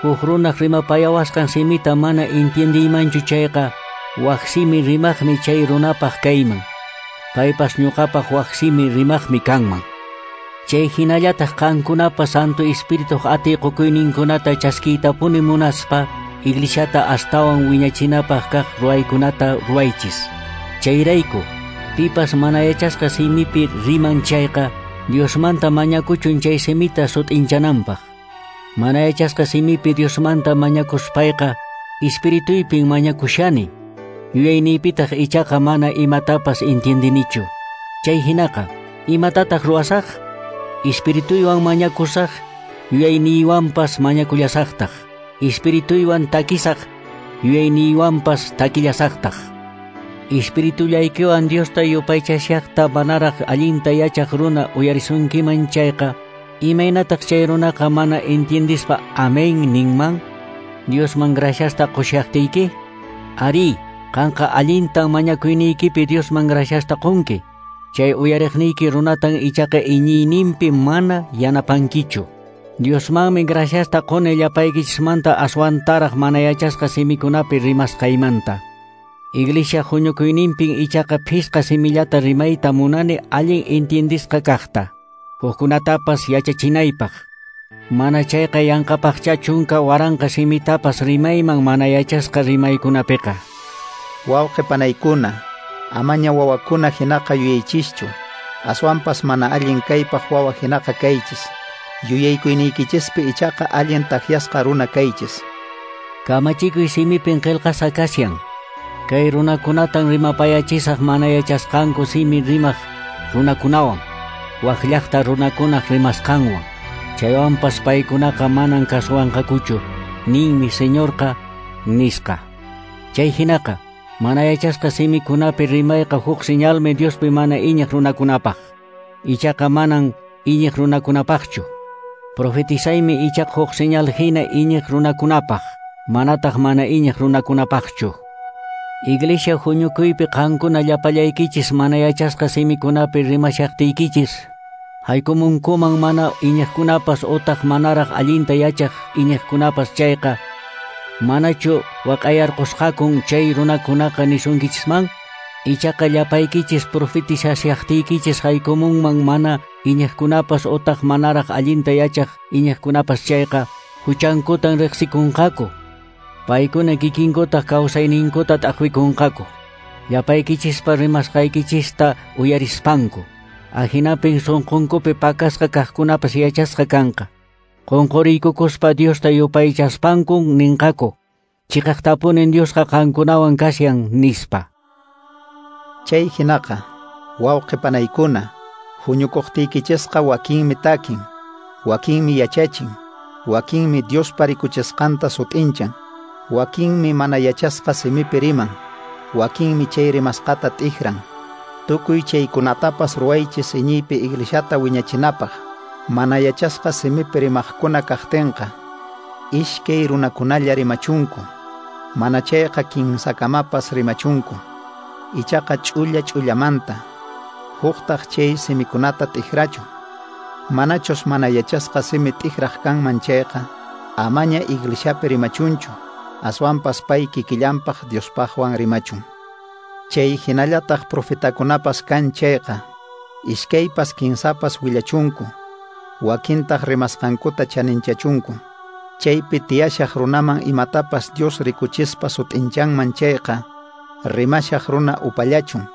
Huk runaq rimapayawasqan simita mana entiendiymanchu chayqa, wak simi rimaqmi chay runapaq kayman. Paypas ñuqapaq wak simi rimaqmi kanman. Chay hinallataq qankunapa Santo Espirituq atiy qukuyninkunata chaskiytapuni munaspa, iglesiata astawan wiñachinapaq kaq ruwaykunata ruwaychis. Chayrayku, pipas mana yachasqa simipi riman chayqa, Diosmanta mañakuchun chay simita sut'inchananpaq. Mana yachasqa simipi Diosmanta mañakuspayqa, espirituypin mañakushani. Yuyayniypitaq ichaqa mana imatapas entiendinichu. Chay hinaqa, imatataq ruwasaq? Espirituywan mañakusaq, yuyayniywanpas mañakullasaqtaq. Espirituywan takisaq, yuyayniywanpas takillasaqtaq. Espiritullaykiwan Diosta yupaychashaqta manaraq allinta yachaq runa uyarisunkiman chayqa, imaynataq chay runaqa mana entiendispa amén ninman? Diosman graciasta qushaqtiyki? Ari, qanqa allintan mañakuyniykipi Diosman graciasta qunki. Chay uyariqniyki runatan ichaqa iñiyninpi mana yanapankichu. Diosmanmi graciasta quni llapaykichismanta aswantaraq mana yachasqa simikunapi rimasqaymanta. Iglesia huñukuyninpin ichaqa phisqa simillata rimayta munani allin entiendisqa kaqta, hukkunatapas yachachinaypaq. Mana chayqa yanqapaqcha chunka waranqa simitapas rimayman mana yachasqa rimaykunapiqa. Wawqi panaykuna, amaña wawakuna hinaqa yuyaychischu, aswanpas mana allin kaypaq wawa hinaqa kaychis. Yuyaykuyniykinchispi ichaqa allin takyasqa runa kaychis. Kamachikuy simipin qillqasqa kashan. Kay runakunatan rimapayachisaq mana yachasqanku simi rimaq runakunawan, wak llaqta runakunaq rimasqanwan. Chaywanpas paykunaqa manan kasuwanqakuchu, ninmi Señorqa nisqa. Chay hinaqa, mana yachasqa simikunapi rimayqa huk señalmi Diospi mana iñiq runakunapaq. Ichaqa manan iñiq runakunapaqchu. Profetizaymi ichaqa huk señal hina iñiq runakunapaq, manataq mana iñiq runakunapaqchu. Iglesia huñukuypi qankuna llapallaykichis mana yachasqa simikunapi rimashaqtiykichis, haykumunkuman mana iñiqkunapas utaq manaraq allinta yachaq iñiqkunapas chayqa, manachu waq'ayarqusqakun chay runakunaqa nisunkichisman? Ichaqa llapaykichis profetizashaqtiykichis haykumunman mana iñiqkunapas utaq manaraq allinta yachaq iñiqkunapas chayqa, huchankutan riqsikunqaku. Paykuna kikinkutaq kawsayninkuta t'aqwikunqaku. Llapaykichispa rimasqaykichista uyarispanku. Ahinapin sunqunkupi pakasqa kaqkunapas yachasqa kanqa. Qunquriykukuspa Diosta yupaychaspankun ninqaku. Chiqaqtapunin Diosqa qankunawan kashan nispa. Chay hinaqa, wawqi panaykuna, huñukuqtiykichisqa wakinmi takin, wakinmi yachachin, wakinmi Diospa rikuchisqanta sut'inchan, wakinmi mana yachasqa simipi riman, wakinmi chay rimasqata t'ikran. Tukuy chaykunatapas ruwaychis iñiypi iglesiata wiñachinapaq, mana yachasqa simipi rimaqkuna kaqtinqa, iskay runakunalla rimachunku, mana chayqa kinsakamapas rimachunku, ichaqa ch'ulla ch'ullamanta, huqtaq chay simikunata t'ikrachun. Manachus mana yachasqa simi t'ikraq kanman chayqa, amaña iglesiapi rimachunchu, aswanpas pay kikillanpaq Diospaqwan rimachun. Chay hinallataq profetakunapas kan chayqa, iskaypas kinsapas willachunku, wakintaq rimasqankuta chaninchachunku. Chaypi tiyashaq runaman imatapas Dios rikuchispa sut'inchanman chayqa, rimashaq runa upallachun.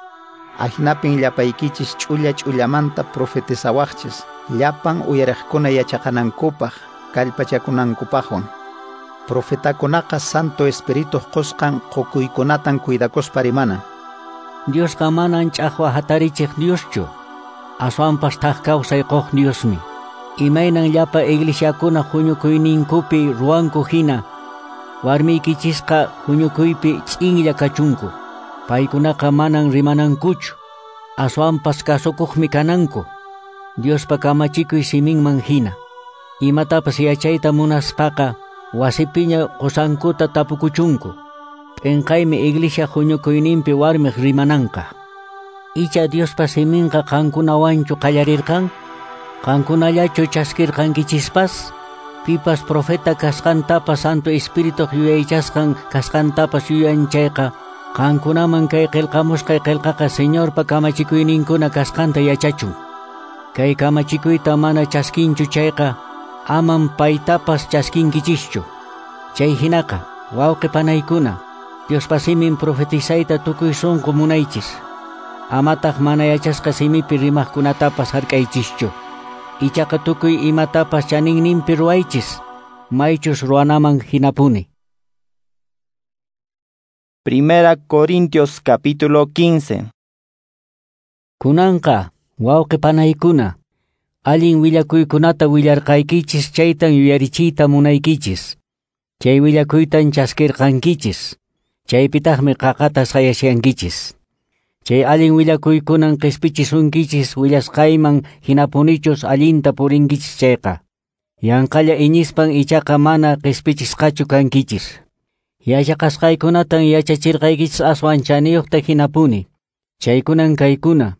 Ahinapin llapaykichis ch'ulla ch'ullamanta profetizawaqchis, llapan uyariqkuna yachaqanankupaq, kallpachakunankupaqwan. Profetakunaqa Santo Espirituq qusqan qukuykunatan cuidakuspa rimana. Diosqa manan ch'aqwa hatarichiq Dioschu, aswanpas thak kawsay quq Diosmi. Imaynan llapa iglesiakuna huñukuyninkupi ruwanku hina, warmiykichisqa huñukuypi ch'inlla kachunku. Paykunaqa manan rimanankuchu, aswanpas kasukuqmi kananku, Diospa kamachikuy siminman hina. Imatapas yachayta munaspaqa wasipiña qusankuta tapukuchunku. P'inqaymi iglesia huñukuyninpi warmiq rimananqa. Icha Diospa siminqa qankunawanchu qallarirqan? Qankunallachu chaskirqankichispas? Pipas profeta kasqantapas Santo Espirituq yuyaychasqan kasqantapas yuyan chayqa, qankunaman kay qillqamusqay qillqaqa Señorpa kamachikuyninkuna kasqanta yachachun. Kay kamachikuyta mana chaskinchu chayqa, aman paytapas chaskinkichischu. Chay hinaqa, wawqi panaykuna, Diospa simin profetizayta tukuy sunqu munaychis. Amataq mana yachasqa simipi rimaqkunatapas hark'aychischu. Ichaqa tukuy imatapas chaninninpi ruwaychis, maychus ruwanaman hinapuni. Primera Corintios capítulo quince. Kunanqa, wawqi panaykuna, allin willakuykunata willarqaykichis chaytan yuyarichiyta munaykichis. Chay willakuytan chaskirqankichis. Chaypitaqmi qaqata sayashankichis. Chay allin willakuykunan qispichisunkichis willasqayman hinapunichus allinta purinkichis chayqa. Yanqalla iñispan ichaqa mana qispichisqachu kankichis. Yachaqasqaykunatan yachachirqaykichis aswan chaniyuqta hinapuni. Chaykunan kaykuna.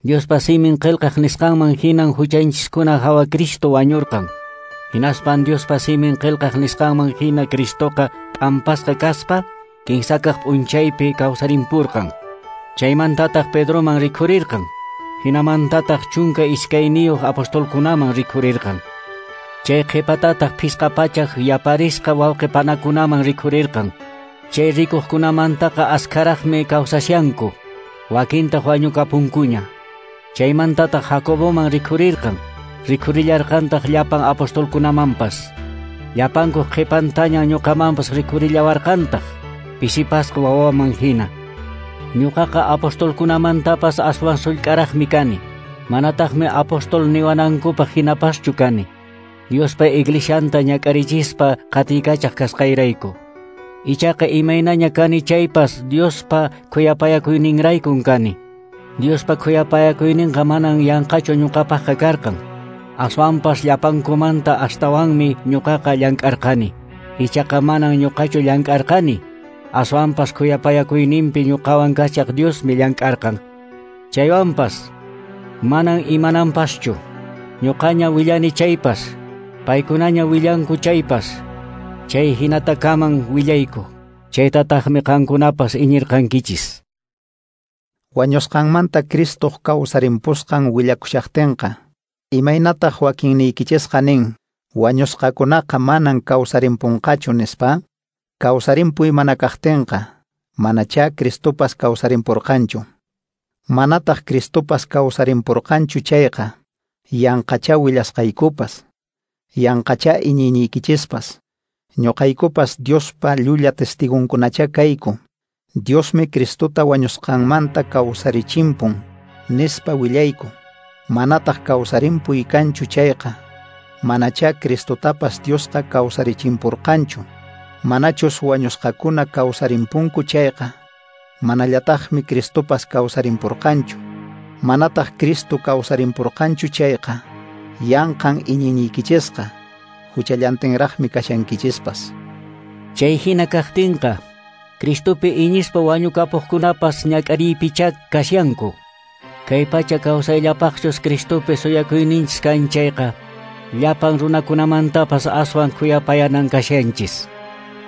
Diospa simin qillqaq nisqanman hinan huchanchiskuna hawa Cristo wañurqan. Hinaspan Diospa simin qillqaq nisqanman hina Cristoqa p'ampasqa kaspa kinsakaq p'unchaypi kawsarimpurqan. Chaymantataq Pedroman rikhurirqan. Hinamantataq chunka iskayniyuq apostolkunaman rikhurirqan. Chay qhipatataq phisqa pachaq yaparisqa wawqipanakunaman rikhurirqan. Chay rikuqkunamantaqa askharaqmi kawsashanku, wakintaq wañukapunkuña. Chaymantataq Jacoboman rikhurirqan, rikhurillarqantaq llapan apostolkunamanpas. Llapankuq qhipantaña ñuqamanpas rikhurillawarqantaq, pisipasqa wawaman hina. Ñuqaqa apostolkunamantapas aswan sullk'araqmi kani, manataqmi apostol niwanankupaq hinapaschu kani. Diospa iglesianta ñak'arichispa qatiykachaq kasqayrayku. Ichaqa imaynaña kani chaypas Diospa khuyapayakuyninraykun kani. Diospa khuyapayakuyninqa manan yanqachu ñuqapaqqa karqan. Aswanpas llapankumanta astawanmi ñuqaqa llank'arqani. Ichaqa manan ñuqachu llank'arqani. Aswanpas khuyapayakuyninpi ñuqawan kachaq Diosmi llank'arqan. Chaywanpas manan imananpaschu. Ñuqaña willani chaypas, paykunaña willanku chaypas, chay hinatakaman willayku. Chaytataqmi qankunapas iñirqankichis. Wañusqanmanta Cristoq kawsarimpusqan willakushaqtinqa, imaynataq wakinniykichisqa nin, wañusqakunaqa manan kawsarimpunqachu nispa? Kawsarimpuy mana kaqtinqa, manachá Cristopas kawsarimpurqanchu. Manataq Cristopas kawsarimpurqanchu chayqa, yanqachá willasqaykupas, yanqachá iñiyniykichispas. Ñuqaykupas Diospa llulla testigunkunachá kayku. Diosmi Cristota wañusqanmanta kawsarichimpun, nispa willayku. Manataq kawsarimpuy kanchu chayqa, manachá Cristotapas Diosqa kawsarichimpurqanchu. Manachus wañusqakuna kawsarimpunku chayqa, manallataqmi Cristopas kawsarimpurqanchu. Manataq Cristo kawsarimpurqanchu chayqa, yanqan iñiyniykichisqa, huchallantinraqmi kashankichispas. Chay hina kaqtinqa, Cristopi iñispa wañukapuqkunapas ñak'ariypichá kashanku. Kay pacha kawsayllapaqchus Cristopi suyakuyninchis kan chayqa, llapan runakunamantapas aswan khuyapayanan kashanchis.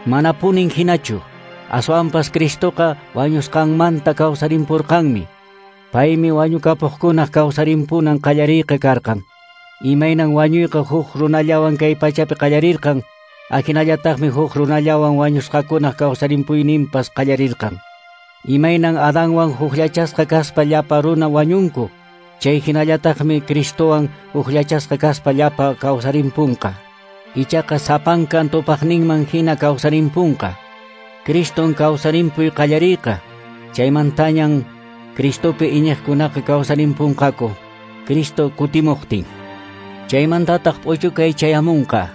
Manapunin hinachu, aswanpas Cristoqa wañusqanmanta kawsarimpurqanmi. Paymi wañukapuqkunaq kawsarimpunan qallariyqa karqan. Imaynan wañuyqa huk runallawan kay pachapi qallarirqan, ahinallataqmi huk runallawan wañusqakunaq kawsarimpuyninpas qallarirqan. Imaynan Adanwan hukllachasqa kaspa llapa runa wañunku, chay hinallataqmi Cristowan hukllachasqa kaspa llapa kawsarimpunqa. Ichaqa sapankan tupaqninman hina kawsarimpunqa. Criston kawsarimpuy qallariyqa, chaymantañan Cristopi iñiqkunaqa kawsarimpunqaku, Cristo kutimuqtin. Chaymantataq p'uchukay chayamunqa.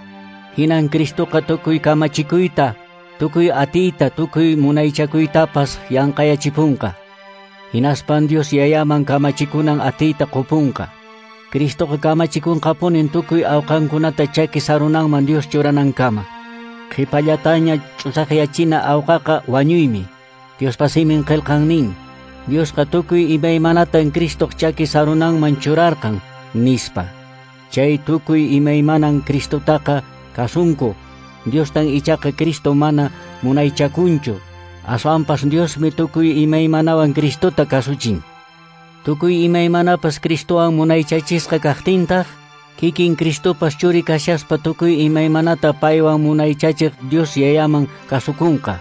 Hinan Cristoqa tukuy kamachikuyta, tukuy atiyta, tukuy munaychakuytapas yanqayachipunqa. Hinaspan Dios yayaman kamachikunan atiyta qupunqa. Cristoqa kamachikunqapunin tukuy awqankunata chaki sarunanman Dios churanankama. Qhipallataña ch'usaqyachina awqaqa wañuymi. Diospa simin qillqan nin, Diosqa tukuy imaymanatan Cristoq chaki sarunanman churarqan, nispa. Chay tukuy imaymanan Cristotaqa kasunku. Diostan ichaqa Cristo mana munaychakunchu. Aswanpas Diosmi tukuy imaymanawan Cristota kasuchin. Tukuy imaymanapas Cristowan munaychachisqa kaqtintaq, kikin Cristopas churi kashaspa tukuy imaymanata paywan munaychachiq Dios yayaman kasukunqa.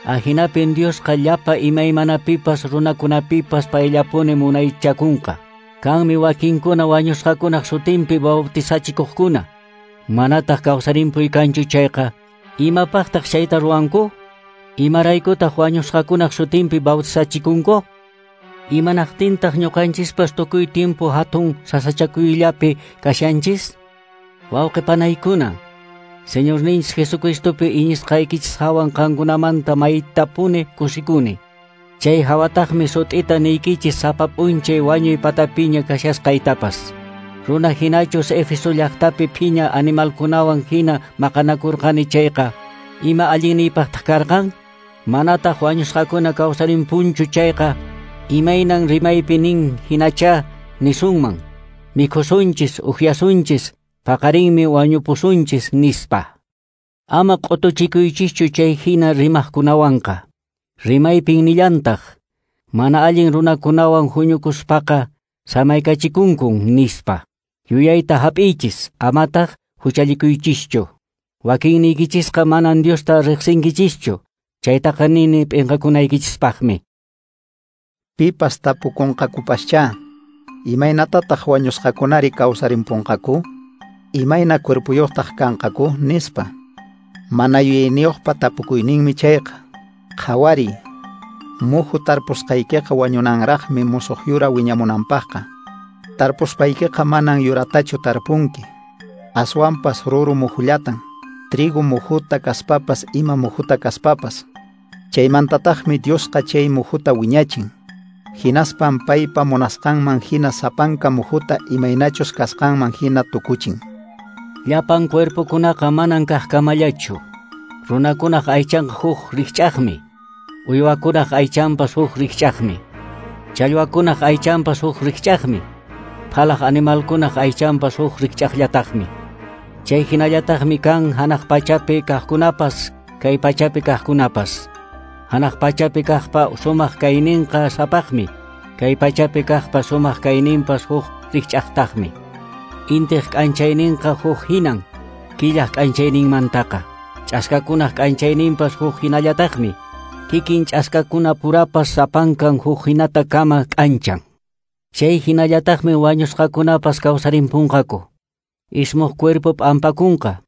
Ahinapin Diosqa llapa imaymanapipas runakunapipas payllapuni munaychakunqa. Kanmi wakinkuna wañusqakunaq sutinpi bautizachikuqkuna. Manataq kawsarimpuy kanchu chayqa, imapaqtaq chayta ruwanku? Imaraykutaq wañusqakunaq sutinpi bautizachikunku? Imanaqtintaq ñuqanchispas tukuy tiempo hatun sasachakuyllapi kashanchis? Wawqi panaykuna, Señorninchis Jesucristopi iñisqaykichis hawan qankunamanta maytapuni kusikuni. Chay hawataqmi sut'ita niykichis sapa p'unchay wañuy patapiña kashasqaytapas. Runa hinachus Éfeso llaqtapi phiña animalkunawan hina maqanakurqani chayqa, ima allinniypaqtaq karqan? Manataq wañusqakuna kawsarimpunchu chayqa, imaynan rimaypi nin hinachá nisunman, mikhusunchis, upyasunchis, paqarinmi wañupusunchis nispa. Ama q'utuchikuychischu chay hina rimaqkunawanqa. Rimaypin nillantaq, mana allin runakunawan huñukuspaqa samaykachikunkun nispa. Yuyayta hap'iychis, amataq huchallikuychischu. Wakinniykichisqa manan Diosta riqsinkichischu, chaytaqa nini p'inqakunaykichispaqmi. Pipas tapukunqakupaschá, imaynatataq wañusqakunari kawsarimpunqaku? Imayna cuerpuyuqtaq kanqaku? Nispa. Mana yuyayniyuqpa tapukuyninmi chayqa. Qhawariy, muhu tarpusqaykiqa wañunanraqmi musuq yura wiñamunanpaqqa. Tarpuspaykiqa manan yuratachu tarpunki, aswanpas ruru muhullatan, trigo muhuta kaspapas ima muhuta kaspapas. Chaymantataqmi Diosqa chay muhuta wiñachin. Hinaspan paypa munasqanman hina sapanka muhuta imaynachus kasqanman hina tukuchin. Llapan cuerpokunaqa manan kaqkamallachu. Runakunaq aychanqa huk rikch'aqmi, uywakunaq aychanpas huk rikch'aqmi, challwakunaq aychanpas huk rikch'aqmi, phalaq animalkunaq aychanpas huk rikch'aqllataqmi. Chay hinallataqmi kan hanaq pachapi kaqkunapas, kay pachapi kaqkunapas. Hanaq pachapi kaqpa sumaq kayninqa sapaqmi, kay pachapi kaqpa sumaq kayninpas huk rikch'aqtaqmi. Intiq k'anchayninqa huk hinan, killaq k'anchayninmantaqa. Ch'askakunaq k'anchayninpas huk hinallataqmi. Kikin ch'askakuna purapas sapankan huk hinata kama k'anchan. Chay hinallataqmi wañusqakunapas kawsarimpunqaku. Ismuq cuerpo p'ampakunqa,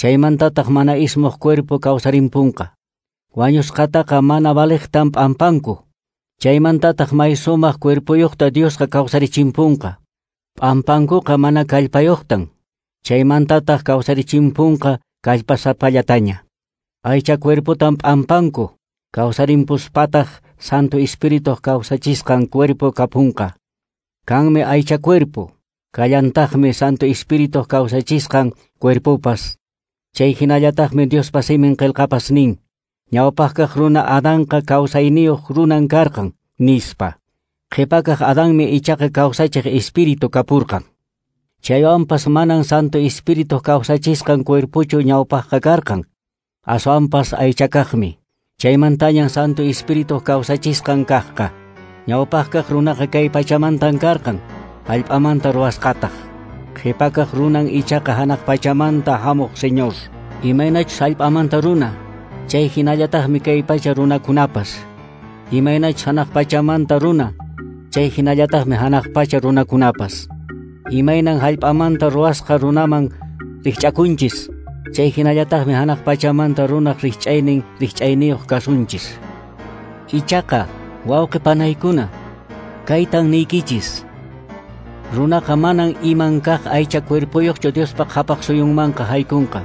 chaymantataq mana ismuq cuerpo kawsarimpunqa. Wañusqataqa mana valiqtan p'ampanku, chaymantataq may sumaq cuerpoyuqta Diosqa kawsarichimpunqa. P'ampankuqa mana kallpayuqtan, chaymantataq kawsarichimpunqa kallpasapallataña. Aycha cuerpotan p'ampanku, kawsarimpuspataq Santo Espíritu kawsachisqan cuerpo kapunqa. Kanmi aycha cuerpo, kallantaqmi Santo Espíritu kawsachisqan cuerpopas. Chay hinallataqmi Diospa simin qillqapas nin, ñawpaqkaq runa Adanqa kawsayniyuq runan karqan, nispa. Qhipakaq Adanmi ichaqa kawsachiq Espíritu kapurqan. Chaywanpas manan Santo Espíritu kawsachisqan cuerpochu ñawpaqqa karqan, aswanpas aychakaqmi. Chaymantañan Santo Espíritu kawsachisqan kaqqa. Ñawpaqkaq runaqa kay pachamantan karqan, hallp'amanta ruwasqataq. Qhipakaq runan ichaqa hanaq pachamanta hamuq Señor. Imaynachus hallp'amanta runa, chay hinallataqmi kay pacha runakunapas. Imaynachus hanaq pachamanta runa, chay hinallataqmi hanaq pacha runakunapas. Imaynan hallp'amanta ruwasqa runaman rikch'akunchis, chay hinallataqmi hanaq pachamanta runaq rikch'aynin rikch'ayniyuq kasunchis. Ichaqa, wawqi panaykuna, kaytan niykichis. Runaqa manan iman kaq aycha cuerpoyuqchu Diospa qhapaq suyunmanqa haykunqa.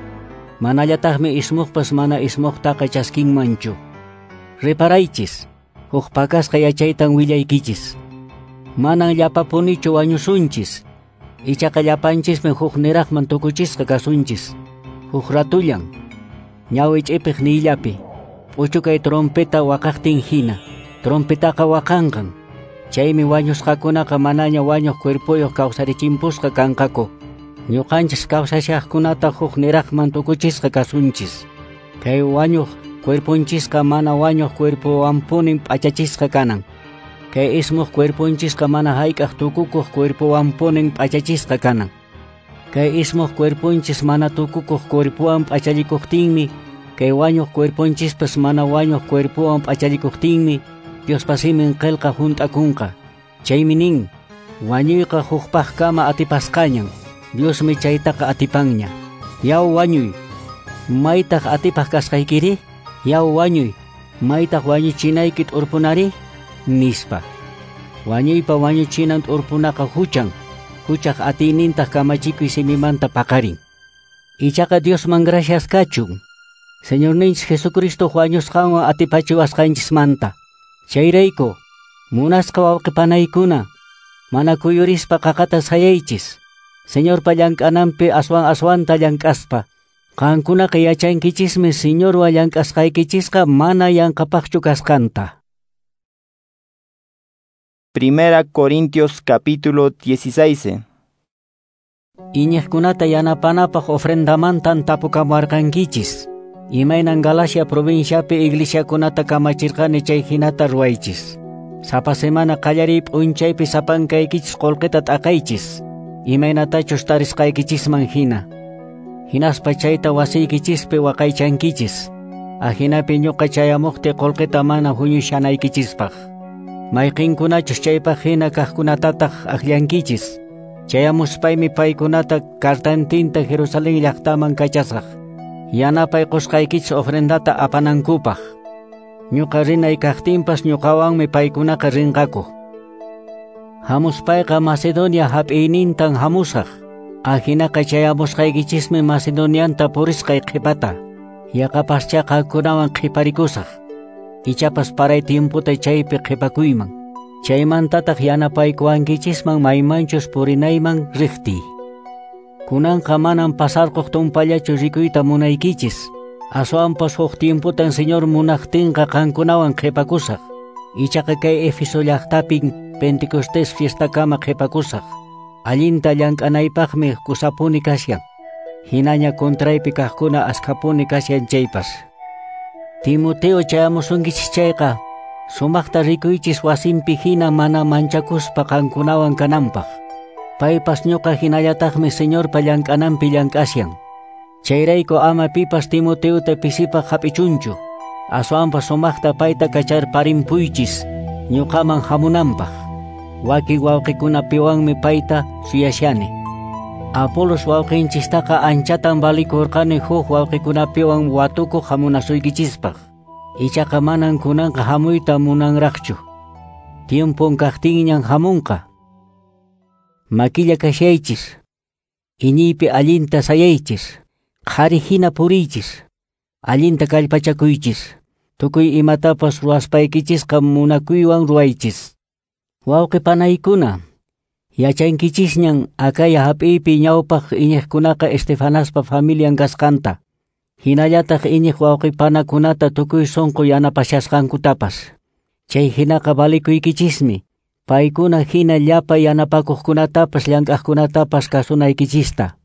Manallataqmi ismuqpas mana ismuqtaqa chaskinmanchu. Reparaychis, huk pakasqa yachaytan willaykichis. Manan llapapunichu wañusunchis, ichaqa llapanchismi huk niraqman tukuchisqa kasunchis. Huk ratullan, ñawi ch'ipiq niyllapi, p'uchukay trompeta waqaqtin hina, trompetaqa waqanqan. Chaymi wañusqakunaqa manaña wañuq cuerpoyuq kawsarichimpusqa kanqaku. Ñuqanchis kawsashaqkunata huk niraqman tukuchisqa kasunchis. Kay wañuq cuerponchisqa mana wañuq cuerpowanpunin p'achachisqa kanan. Kay ismuq cuerponchisqa mana hayk'aq tukukuq cuerpowanpunin p'achachisqa kanan. Kay ismuq cuerponchis mana tukukuq cuerpowan p'achallikuqtinmi, kay wañuq cuerponchispas mana wañuq cuerpowan p'achallikuqtinmi, Diospa simin qillqa hunt'akunqa. Chaymi nin, wañuyqa hukpaqkama atipasqañan, Diosmi chaytaqa atipanña. Yaw wañuy, maytaq atipaq kasqaykiri? Yaw wañuy, maytaq wañuchinayki t'urpunari? Nispa. Wañuypa wañuchinan t'urpunaqa huchan, huchaq atiynintaq kamachikuy simimanta paqarin. Ichaqa Diosman gracias kachun, Señorninchis Jesucristo wañusqanwan atipachiwasqanchismanta. Chayrayku, munasqa wawqipanaykuna, mana kuyurispa qaqata sayaychis, Señorpa llank'ananpi aswan aswanta llank'aspa. Qankunaqa yachankichismi Señorwan llank'asqaykichisqa mana yanqapaqchu kasqanta. Primera Corintios capítulo dieciséis. Iñiqkunata yanapanapaq ofrendamantan tapukamuarqankichis. Imaynan Galacia provinciapi iglesiakunata kamachirqani chay hinata ruwaychis. Sapa semana qallariy p'unchaypi sapankaykichis qullqita t'aqaychis, imaynatachus tarisqaykichisman hina. Hinaspa chayta wasiykichispi waqaychankichis. Ahinapi ñuqa chayamuqti qullqita mana huñushanaykichispaq. Mayqinkunachus chaypaq hina kaqkunatataq akllankichis. Chayamuspaymi paykunata kartantinta Jerusalén llaqtaman kachasaq. Yanapay qusqaykichis ofrendata apanankupaq. Ñuqa rinay kaqtinpas ñuqawanmi paykunaqa rinqaku. Hamuspayqa Macedonia hap'iynintan hamusaq. Ahinaqa chayamusqaykichismi Macedonianta purisqay qhipata. Yaqapaschá qankunawan qhiparikusaq. Ichapas paray tiemputa chaypi qhipakuyman. Chaymantataq yanapaykuwankichisman maymanchus purinayman riqtiy. Kunanqa manan pasarquq tumpallachu rikuyta munaykichis. Aswanpas huk tiemputan Señor munaqtinqa qankunawan qhipakusaq. Ichaqa kay Éfeso llaqtapin Pentecostés fiestakama qhipakusaq. Allinta llank'anaypaqmi kusapuni kashan. Hinaña contraypi kaqkuna askhapuni kashan chaypas. Timoteo chayamusunkichis chayqa, sumaqta rikuychis wasinpi hina mana manchakuspa qankunawan kananpaq. Paypas ñuqa hinallataqmi Señorpa llank'ananpi llank'ashan. Chayrayku ama pipas Timoteota pisipaq hap'ichunchu. Aswanpas sumaqta payta kacharparimpuychis ñuqaman hamunanpaq. Wakin wawqikunapiwanmi payta suyashani. Apolos wawqinchistaqa anchatan valikurqani huk wawqikunapiwan watukuq hamunasuykichispaq. Ichaqa manan kunanqa hamuyta munanraqchu. Tiempon kaqtinñan hamunqa. Makilla kashaychis. Iñiypi allinta sayaychis. Qhari hina puriychis. Allinta kallpachakuychis. Tukuy imatapas ruwaspaykichisqa munakuywan ruwaychis. Wawqi panaykuna, yachankichisñan Acaya hap'iypi ñawpaq iñiqkunaqa Estefanaspa familian kasqanta. Hinallataq iñiq wawqi panakunata tukuy sunqu yanapashasqankutapas. Chay hinaqa valikuykichismi. Paykuna hina llapa yanapakuqkunatapas llank'aqkunatapas kasunaykichista.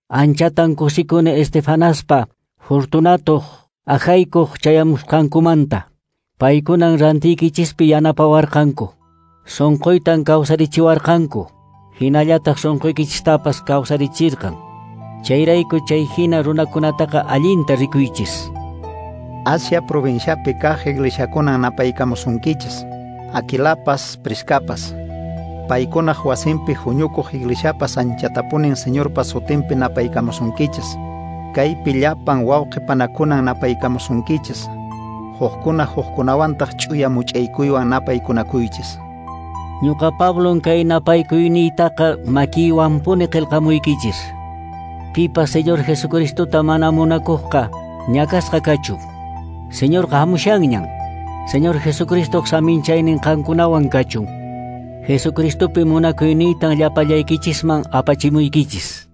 Anchatan kusikuni Estefanaspa, Fortunatoq, Ajaikuq chayamusqankumanta. Paykunan rantiykichispi yanapawarqanku. Sunquytan kawsarichiwarqanku. Hinallataq sunquykichistapas kawsarichirqan. Chayrayku chay hina runakunataqa allinta rikuychis. Asia provinciapi kaq iglesiakunan napaykamusunkichis. Aquilapas, Priscapas. Paykunaq wasinpi huñukuq iglesiapas anchatapunin Señorpa sutinpi napaykamusunkichis. Kaypi llapan wawqi panakunan napaykamusunkichis. Hukkuna hukkunawantaq ch'uya much'aykuywan napaykunakuychis. Ñuqa Pablon kay napaykuyniytaqa makiywanpuni qillqamuykichis. Pipas Señor Jesucristota mana munakuqqa ñakasqa kachun. Señorqa hamushanñan. Señor Jesucristoq saminchaynin qankunawan kachun. Jesucristopi munakuyniytan llapallaykichisman apachimuykichis.